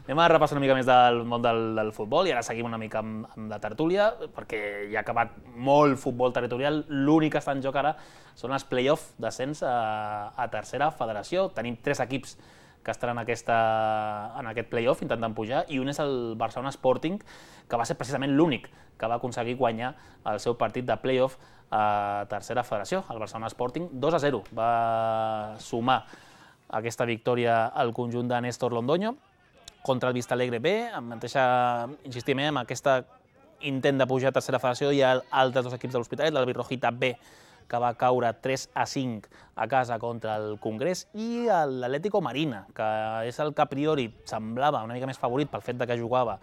Anem a repassar una mica més del món del, del futbol i ara seguim una mica amb, amb la tertúlia, perquè ja ha acabat molt futbol territorial. L'únic que està en joc ara són els play-off d'ascens a, a tercera federació. Tenim tres equips que estan en, aquesta, en aquest play-off intentant pujar, i un és el Barcelona Sporting, que va ser precisament l'únic que va aconseguir guanyar el seu partit de play-off a tercera federació. El Barcelona Sporting dos a zero va sumar aquesta victòria al conjunt de Néstor Londoño contra el Vistalegre B, amb mateixa, insistim, eh, amb aquesta intent de pujar a tercera federació. Hi ha altres dos equips de l'Hospitalet, l'Albirrojita B, que va caure tres a cinc a casa contra el Congrés, i l'Atlético Marina, que és el que a priori semblava una mica més favorit pel fet de que jugava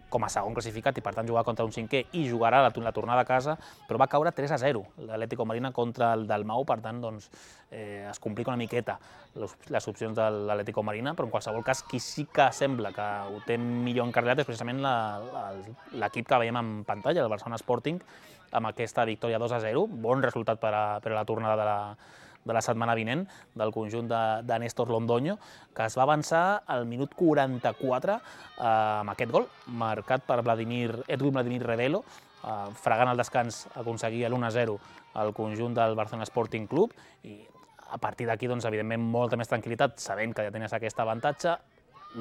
com a segon classificat i per tant jugar contra un cinquè i jugarà la, la tornada a casa, però va caure tres a zero l'Atlético Marina contra el Dalmau, per tant doncs, eh, es complica una miqueta les, les opcions de l'Atlético Marina, però en qualsevol cas qui sí que sembla que ho té millor encarrilat és precisament l'equip que veiem en pantalla, el Barcelona Sporting, amb aquesta victòria dos a zero, bon resultat per a, per a la tornada de la, de la setmana vinent del conjunt de, de Néstor Londoño, que es va avançar al minut quaranta-quatre eh, amb aquest gol, marcat per Vladimir, Edwin Vladimir Redelo, eh, fregant el descans aconseguia l'u a zero al conjunt del Barcelona Sporting Club, i a partir d'aquí, doncs, evidentment, molta més tranquil·litat, sabent que ja tenies aquest avantatge.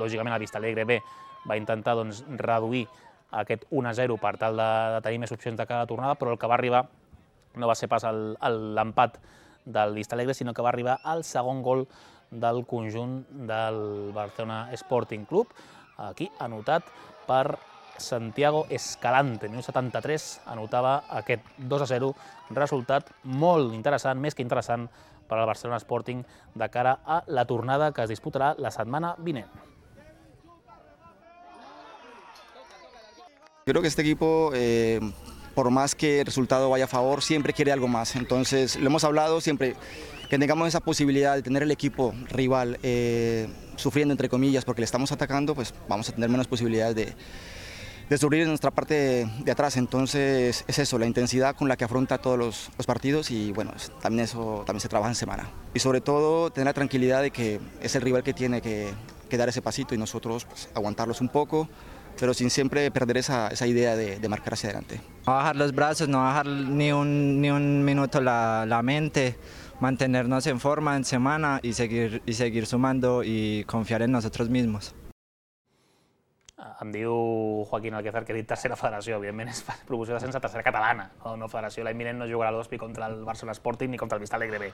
Lògicament, el Vistalegre B va intentar doncs, reduir aquest u a zero per tal de, de tenir més opcions de cada tornada, però el que va arribar no va ser pas l'empat del Vistalegre, sinó que va arribar al segon gol del conjunt del Barcelona Sporting Club, aquí anotat per Santiago Escalante, minut setanta-tres, anotava aquest dos a zero, resultat molt interessant, més que interessant, per al Barcelona Sporting de cara a la tornada que es disputarà la setmana vinent. Creo que este equipo, eh, por más que el resultado vaya a favor, siempre quiere algo más. Entonces, lo hemos hablado siempre, que tengamos esa posibilidad de tener el equipo rival eh, sufriendo, entre comillas, porque le estamos atacando, pues vamos a tener menos posibilidades de, de sufrir en nuestra parte de, de atrás. Entonces, es eso, la intensidad con la que afronta todos los, los partidos, y bueno, también eso también se trabaja en semana. Y sobre todo, tener la tranquilidad de que es el rival que tiene que, que dar ese pasito y nosotros pues, aguantarlos un poco, pero sin siempre perder esa, esa idea de, de marcar hacia adelante. No bajar los brazos, no bajar ni un, ni un minuto la, la mente, mantenernos en forma en semana y seguir, y seguir sumando y confiar en nosotros mismos. Em diu Joaquín Alquezar que ha dit tercera federació, evidentment és promoció d'ascens a tercera catalana, no, no federació. L'any vinent no jugarà l'Hospi contra el Barcelona Sporting ni contra el Vistalegre B,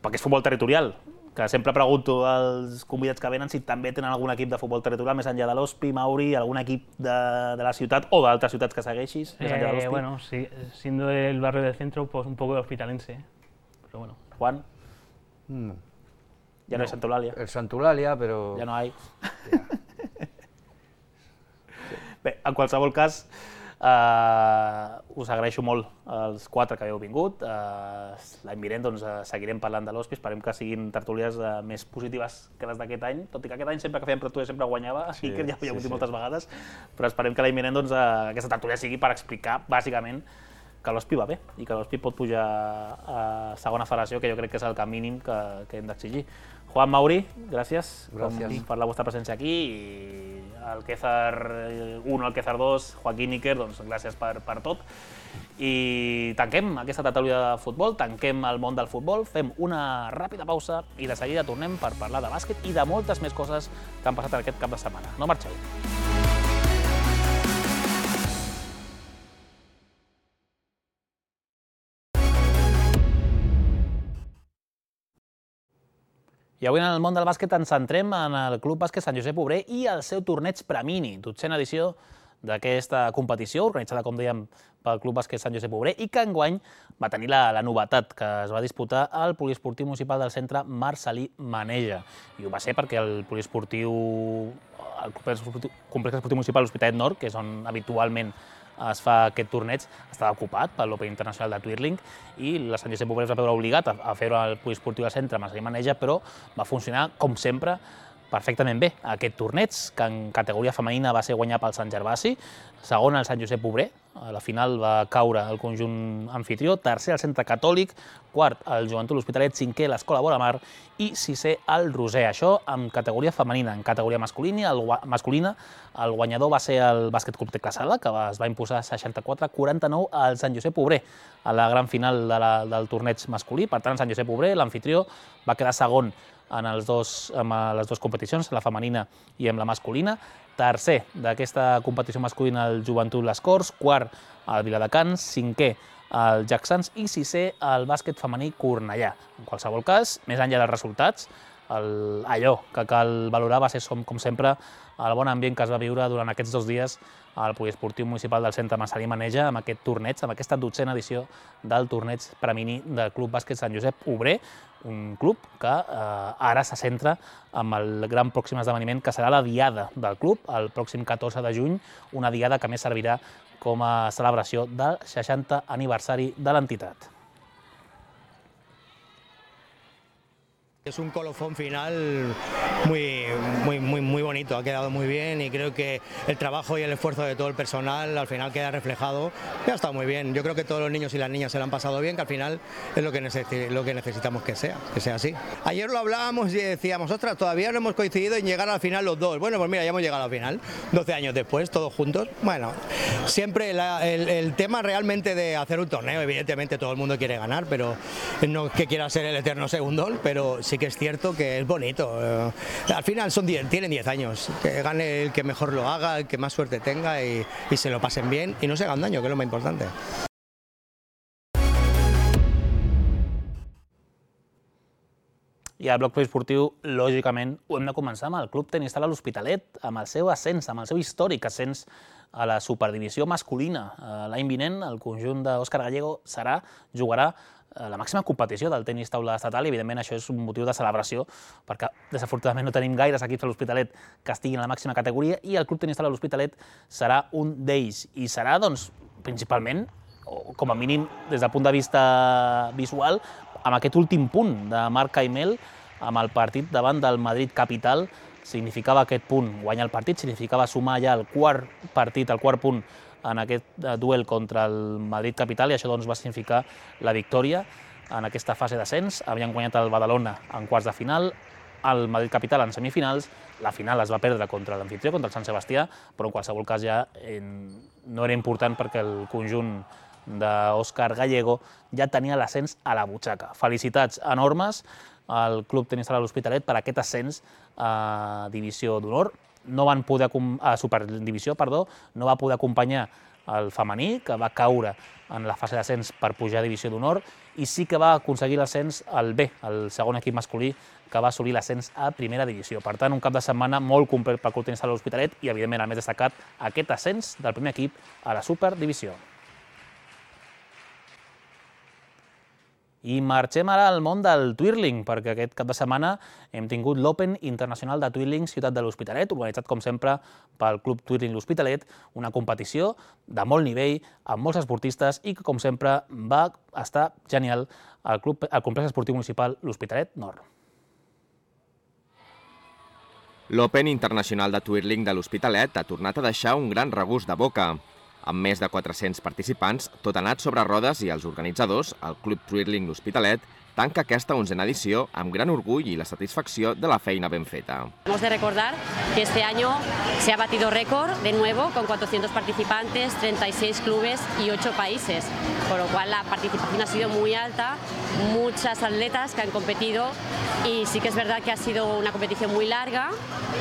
perquè és futbol territorial, que sempre pregunto als convidats que venen si també tenen algun equip de futbol territorial més enllà de l'Hospi, Mauri, algun equip de, de la ciutat o d'altres ciutats que segueixis més enllà de Eh, l'Hospi. bueno, sí, siendo del barrio del centro, pues un poco de hospitalense, pero bueno. Juan, Mm, ja no, no hay Santa Eulalia, El Santulalia, pero. ja no hay. Bé, en qualsevol cas, Uh, us agraeixo molt els quatre que heu vingut. Uh, L'any vinent doncs, uh, seguirem parlant de l'Hospi, esperem que siguin tertúlies uh, més positives que les d'aquest any, tot i que aquest any sempre que fèiem tertúlies sempre guanyava, sí, i que ja ho havia sí, sí. moltes vegades, però esperem que l'any vinent doncs, uh, aquesta tertúlia sigui per explicar bàsicament que l'Hospi va bé i que l'Hospi pot pujar a segona federació, que jo crec que és el que mínim que, que hem d'exigir. Juan Mauri, gràcies, gràcies. per la vostra presència aquí, i el Quezar u, el Quezar dos, Joaquín Iker, doncs gràcies per, per tot. I tanquem aquesta tertúlia de futbol, tanquem el món del futbol, fem una ràpida pausa i de seguida tornem per parlar de bàsquet i de moltes més coses que han passat aquest cap de setmana. No marxeu. I avui en el món del bàsquet ens centrem en el Club Bàsquet Sant Josep Obrer i el seu torneig Premini, dotzena edició d'aquesta competició, organitzada, com dèiem, pel Club Bàsquet Sant Josep Obrer, i que enguany va tenir la, la novetat que es va disputar al Poliesportiu Municipal del Centre Marcel·lí Maneja. I ho va ser perquè el Poliesportiu, el Complex Esportiu Municipal de l'Hospitalet Nord, que és on habitualment es fa aquest torneig, estava ocupat per l'Open Internacional de Twirling i la Sant Josep Obrer es va veure obligat a fer-ho al Poliesportiu del Centre Marcel·lí Maneja, però va funcionar, com sempre, perfectament bé. Aquest torneig, que en categoria femenina va ser guanyat pel Sant Gervasi, segon el Sant Josep Obrer, a la final va caure el conjunt anfitrió, tercer el Centre Catòlic, quart el Joventut l'Hospitalet, cinquè l'Escola Boramar i sisè el Roser. Això en categoria femenina. En categoria masculina, el, masculina, el guanyador va ser el Bàsquet Club Tecla Sala, que es va imposar seixanta-quatre a quaranta-nou al Sant Josep Obrer a la gran final de la, del torneig masculí. Per tant, el Sant Josep Obrer, l'anfitrió, va quedar segon en els dos, en les dues competicions, la femenina i en la masculina. Tercer d'aquesta competició masculina el Joventut Les Corts, quart el Viladecans, cinquè el Jacksans i sisè el bàsquet femení Cornellà. En qualsevol cas, més enllà dels resultats, el, allò que cal valorar va ser, com sempre, el bon ambient que es va viure durant aquests dos dies al Poliesportiu Municipal del Centre Marcel·lí Maneja amb aquest torneig, amb aquesta dotzena edició del torneig Premini del Club Bàsquet Sant Josep Obrer, un club que eh, ara se centra en el gran pròxim esdeveniment que serà la diada del club, el pròxim catorze de juny, una diada que més servirà com a celebració del seixantè aniversari de l'entitat. Es un colofón final muy, muy, muy, muy bonito, ha quedado muy bien y creo que el trabajo y el esfuerzo de todo el personal al final queda reflejado y ha estado muy bien. Yo creo que todos los niños y las niñas se lo han pasado bien, que al final es lo que, necesi- lo que necesitamos que sea, que sea así. Ayer lo hablábamos y decíamos, ostras, todavía no hemos coincidido en llegar al final los dos. Bueno, pues mira, ya hemos llegado al final, doce años después, todos juntos. Bueno, siempre la, el, el tema realmente de hacer un torneo, evidentemente todo el mundo quiere ganar, pero no que quiera ser el eterno segundón, pero sí que es cierto que es bonito. Eh, al final son diez, tienen diez años, que gane el que mejor lo haga, el que más suerte tenga y, y se lo pasen bien y no se hagan daño, que es lo más importante. I al bloc poliesportiu, lògicament, ho hem de començar amb el Club Tenis Sala l'Hospitalet, amb el seu ascens, amb el seu històric ascens a la superdivisió masculina. L'any vinent, el conjunt d'Òscar Gallego serà, jugarà la màxima competició del tenis taula estatal i, evidentment, això és un motiu de celebració perquè, desafortunadament, no tenim gaires equips a l'Hospitalet que estiguin a la màxima categoria i el Club Tenis Sala l'Hospitalet serà un d'ells. I serà, doncs, principalment, o com a mínim des del punt de vista visual, amb aquest últim punt de Marc Caimel, amb el partit davant del Madrid Capital, significava aquest punt, guanyar el partit, significava sumar ja el quart partit, el quart punt en aquest duel contra el Madrid Capital, i això doncs, va significar la victòria en aquesta fase d'ascens. Havien guanyat el Badalona en quarts de final, el Madrid Capital en semifinals, la final es va perdre contra l'anfitrió, contra el Sant Sebastià, però en qualsevol cas ja eh, no era important perquè el conjunt d'Òscar Gallego ja tenia l'ascens a la butxaca. Felicitats enormes al Club Tenis Sala l'Hospitalet per aquest ascens a Divisió d'Honor. No van poder, a Superdivisió, perdó, no va poder acompanyar el femení, que va caure en la fase d'ascens per pujar a Divisió d'Honor, i sí que va aconseguir l'ascens al B, el segon equip masculí, que va assolir l'ascens a Primera Divisió. Per tant, un cap de setmana molt complet pel Club Tenis Sala l'Hospitalet i, evidentment, el més destacat, aquest ascens del primer equip a la Superdivisió. I marxem ara al món del twirling, perquè aquest cap de setmana hem tingut l'Open Internacional de Twirling Ciutat de l'Hospitalet, organitzat com sempre pel Club Twirling L'Hospitalet, una competició de molt nivell, amb molts esportistes i que com sempre va estar genial al, club, al complex esportiu municipal L'Hospitalet Nord. L'Open Internacional de Twirling de l'Hospitalet ha tornat a deixar un gran regust de boca. Amb més de quatre-cents participants, tot anat sobre rodes i els organitzadors, el Club Twirling L'Hospitalet, tanca aquesta onzena edició amb gran orgull i la satisfacció de la feina ben feta. Hemos de recordar que este año se ha batido récord de nuevo con cuatrocientos participantes, treinta y seis clubes y ocho países, por lo cual la participación ha sido muy alta, muchas atletas que han competido y sí que es verdad que ha sido una competición muy larga,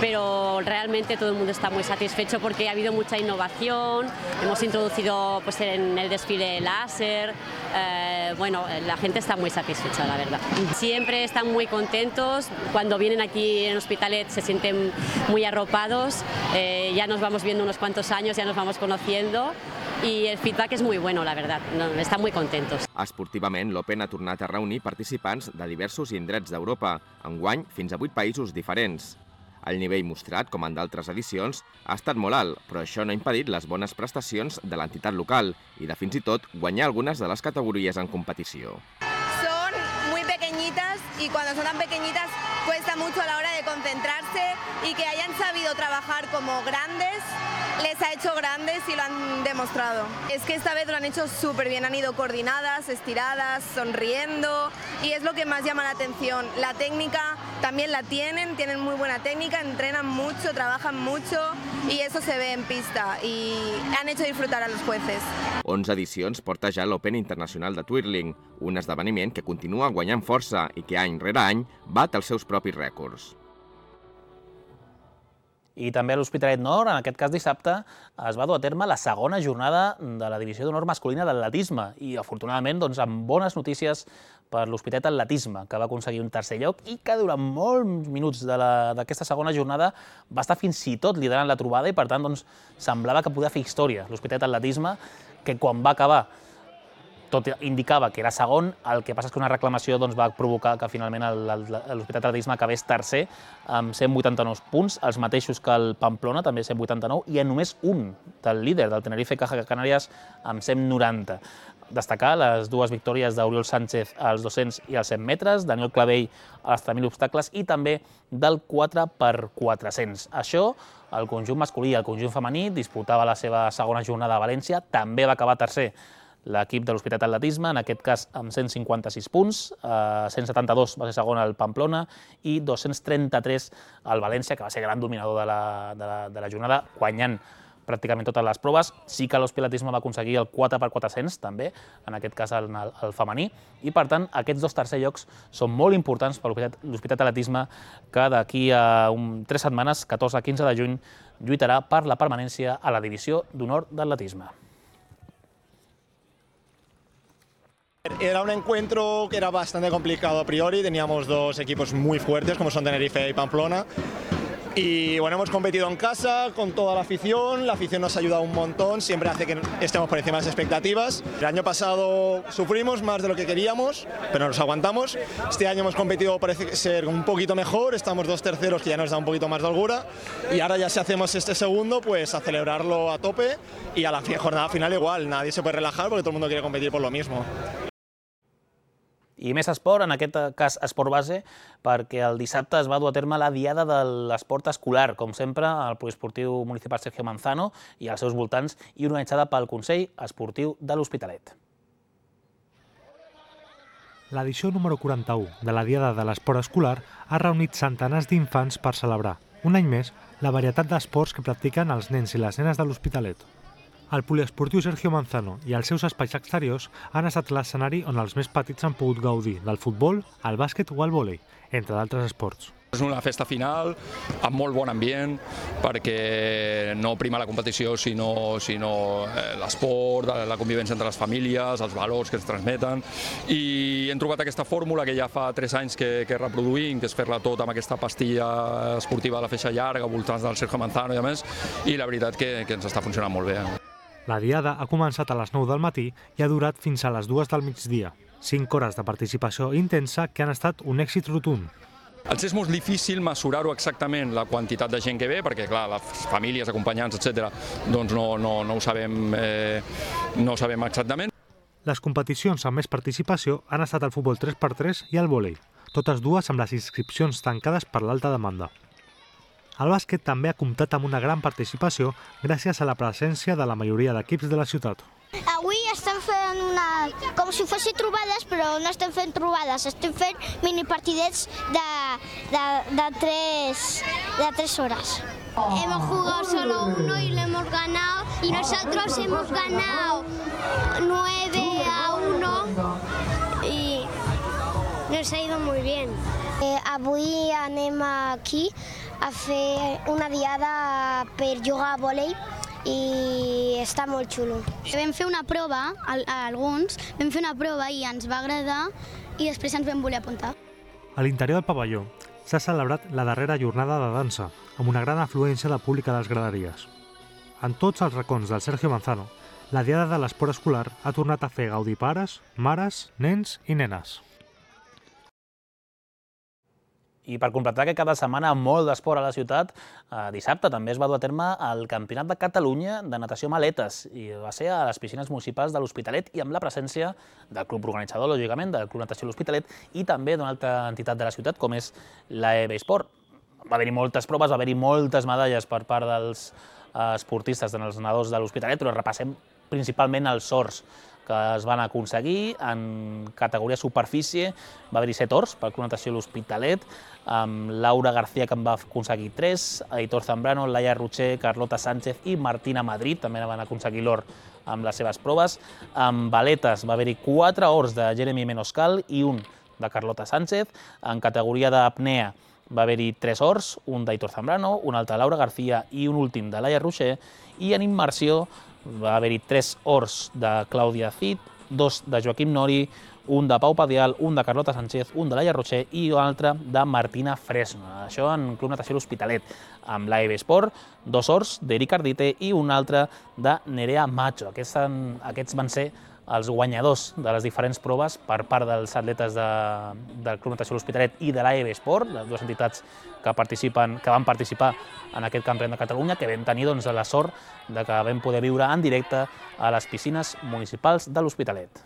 pero realmente todo el mundo está muy satisfecho porque ha habido mucha innovación, hemos introducido pues, en el desfile láser, eh, bueno, la gente está muy satisfecha, la verdad. Siempre están muy contentos, cuando vienen aquí en Hospitalet se sienten muy arropados, eh, ya nos vamos viendo unos cuantos años, ya nos vamos conociendo i el feedback és molt bueno, la veritat. Estan molt contentos. Esportivament, l'Open ha tornat a reunir participants de diversos indrets d'Europa, enguany fins a vuit països diferents. El nivell mostrat, com en d'altres edicions, ha estat molt alt, però això no ha impedit les bones prestacions de l'entitat local i de fins i tot guanyar algunes de les categories en competició. Son muy pequeñitas y cuando son tan pequeñitas cuesta mucho a la hora de concentrarse y que hayan sabido trabajar como grandes les ha hecho grandes y lo han demostrado. Es que esta vez lo han hecho súper bien, han ido coordinadas, estiradas, sonriendo y es lo que más llama la atención. La técnica también la tienen, tienen muy buena técnica, entrenan mucho, trabajan mucho y eso se ve en pista y han hecho disfrutar a los jueces. onze edicions porta ja l'Open Internacional de Twirling, un esdeveniment que continua guanyant força i que any rere any bat els seus propis rècords. I també a l'Hospitalet Nord, en aquest cas dissabte, es va dur a terme la segona jornada de la divisió d'honor masculina d'atletisme i, afortunadament, doncs, amb bones notícies per l'Hospitalet Atletisme, que va aconseguir un tercer lloc i que durant molts minuts d'aquesta segona jornada va estar fins i tot liderant la trobada i, per tant, doncs, semblava que podia fer història l'Hospitalet Atletisme, que quan va acabar tot indicava que era segon, el que passa és que una reclamació doncs, va provocar que finalment l'Hospitalet Atletisme acabés tercer amb cent vuitanta-nou punts, els mateixos que el Pamplona, també cent vuitanta-nou, i en només un del líder, del Tenerife Caja Canàries, amb cent noranta. Destacar les dues victòries d'Oriol Sánchez als dos-cents i als cent metres, Daniel Clavell als tres mil obstacles i també del quatre per quatre-cents. Això, el conjunt masculí i el conjunt femení disputava la seva segona jornada a València, també va acabar tercer l'equip de l'Hospitalet Atletisme, en aquest cas amb cent cinquanta-sis punts, cent setanta-dos va ser segon al Pamplona i dos-cents trenta-tres al València, que va ser gran dominador de la, de la, de la jornada, guanyant pràcticament totes les proves. Sí que l'Hospitalet Atletisme va aconseguir el quatre per quatre-cents, també, en aquest cas el, el femení, i per tant aquests dos tercers llocs són molt importants per l'Hospitalet Atletisme, que d'aquí a un, tres setmanes, catorze a quinze de juny, lluitarà per la permanència a la divisió d'honor d'atletisme. Era un encuentro que era bastante complicado a priori, teníamos dos equipos muy fuertes como son Tenerife y Pamplona y bueno, hemos competido en casa con toda la afición, la afición nos ha ayudado un montón, siempre hace que estemos por encima de las expectativas. El año pasado sufrimos más de lo que queríamos, pero nos aguantamos. Este año hemos competido, parece ser un poquito mejor, estamos dos terceros que ya nos da un poquito más de holgura y ahora ya si hacemos este segundo, pues a celebrarlo a tope y a la jornada final igual, nadie se puede relajar porque todo el mundo quiere competir por lo mismo. I més esport, en aquest cas esport base, perquè el dissabte es va dur a terme la diada de l'esport escolar, com sempre, al poliesportiu municipal Sergio Manzano i als seus voltants, i organitzada pel Consell Esportiu de l'Hospitalet. L'edició número quaranta-u de la diada de l'esport escolar ha reunit centenars d'infants per celebrar, un any més, la varietat d'esports que practiquen els nens i les nenes de l'Hospitalet. El poliesportiu Sergio Manzano i els seus espais exteriors han estat l'escenari on els més petits han pogut gaudir del futbol, el bàsquet o el vòlei, entre d'altres esports. És una festa final amb molt bon ambient perquè no prima la competició sinó, sinó l'esport, la convivència entre les famílies, els valors que es transmeten i hem trobat aquesta fórmula que ja fa tres anys que, que reproduïm, que és fer-la tot amb aquesta pastilla esportiva de la feixa llarga, voltants del Sergio Manzano i a més, i la veritat que, que ens està funcionant molt bé. La diada ha començat a les nou del matí i ha durat fins a les dues del migdia. Cinc hores de participació intensa que han estat un èxit rotund. Els és molt difícil mesurar-ho exactament, la quantitat de gent que ve, perquè clar, les famílies, acompanyants, etcètera, doncs no, no, no, ho sabem, eh, no ho sabem exactament. Les competicions amb més participació han estat el futbol tres per tres i el vòlei, totes dues amb les inscripcions tancades per l'alta demanda. El bàsquet també ha comptat amb una gran participació gràcies a la presència de la majoria d'equips de la ciutat. Avui estem fent una, com si fossin trobades, però no estem fent trobades, estem fent minipartidets de, de, de, tres, de tres horas. Hemos jugado solo uno y lo hemos ganado, y nosotros hemos ganado nueve a uno y nos ha ido muy bien. Eh, avui anem aquí a fer una diada per jugar a vòlei i està molt xulo. Vam fer una prova, alguns, vam fer una prova i ens va agradar i després ens vam voler apuntar. A l'interior del pavelló s'ha celebrat la darrera jornada de dansa, amb una gran afluència de públic a les graderies. En tots els racons del Sergio Manzano, la Diada de l'Esport Escolar ha tornat a fer gaudir pares, mares, nens i nenes. I per completar que cada setmana molt d'esport a la ciutat, dissabte també es va dur a terme el Campionat de Catalunya de natació maletes i va ser a les piscines municipals de l'Hospitalet i amb la presència del club organitzador, lògicament, del Club Natació L'Hospitalet i també d'una altra entitat de la ciutat com és l'A E B Esport. Va haver-hi moltes proves, va haver-hi moltes medalles per part dels esportistes, dels nedadors de l'Hospitalet, però repassem principalment els sorts que es van aconseguir. En categoria superfície va haver-hi set ors pel Club Natació L'Hospitalet, amb Laura García, que en va aconseguir tres, Aitor Zambrano, Laia Rocher, Carlota Sánchez i Martina Madrid també van aconseguir l'or amb les seves proves. En baletes va haver-hi quatre ors de Jeremy Menoscal i un de Carlota Sánchez. En categoria d'apnea va haver-hi tres ors, un d'Aitor Zambrano, un altre de Laura García i un últim de Laia Rocher. I en immersió va haver-hi tres ors de Clàudia Cid, dos de Joaquim Nori, un de Pau Padial, un de Carlota Sánchez, un de Laia Rocher i un altre de Martina Fresno. Això en Club Natació L'Hospitalet. Amb l'A E B Esport, dos ors d'Eric Ardite i un altre de Nerea Macho. Aquests, aquests van ser els guanyadors de les diferents proves per part dels atletes de, del Club Natació L'Hospitalet i de l'A E B Esport, les dues entitats que, participen, que van participar en aquest Campionat de Catalunya, que vam tenir doncs, la sort de que vam poder viure en directe a les piscines municipals de l'Hospitalet.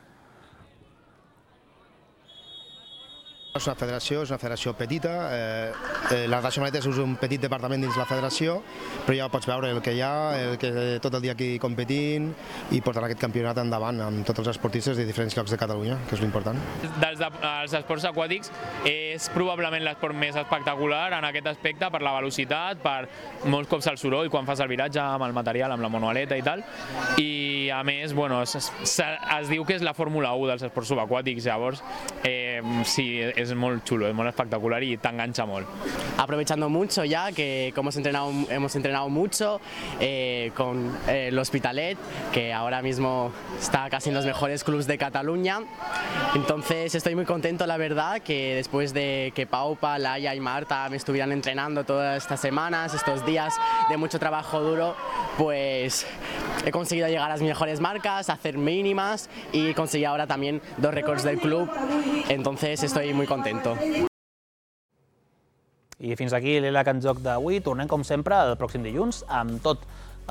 És una federació, és una federació petita, eh, eh, la natació maletes és un petit departament dins la federació, però ja pots veure el que hi ha, el que tot el dia aquí competint i portant aquest campionat endavant amb tots els esportistes de diferents llocs de Catalunya, que és l'important. Dels de, els esports aquàtics és probablement l'esport més espectacular en aquest aspecte per la velocitat, per molts cops el soroll quan fas el viratge amb el material, amb la monoaleta i tal, i a més, bueno, es, es, es diu que és la Fórmula u dels esports subaquàtics, llavors eh, sí, es muy chulo, es muy espectacular y te engancha mucho. Aprovechando mucho ya que como hemos entrenado, hemos entrenado mucho eh, con eh, el Hospitalet, que ahora mismo está casi en los mejores clubes de Cataluña. Entonces estoy muy contento, la verdad, que después de que Paupa, Laia y Marta me estuvieran entrenando todas estas semanas, estos días de mucho trabajo duro, pues he conseguido llegar a las mejores marcas, hacer mínimas y conseguir ahora también dos récords del club. Entonces estoy muy contento. I fins aquí l'E L A C en joc d'avui. Tornem, com sempre, el pròxim dilluns amb tot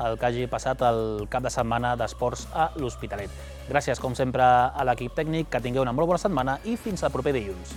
el que hagi passat el cap de setmana d'esports a l'Hospitalet. Gràcies, com sempre, a l'equip tècnic, que tingueu una molt bona setmana i fins al proper dilluns.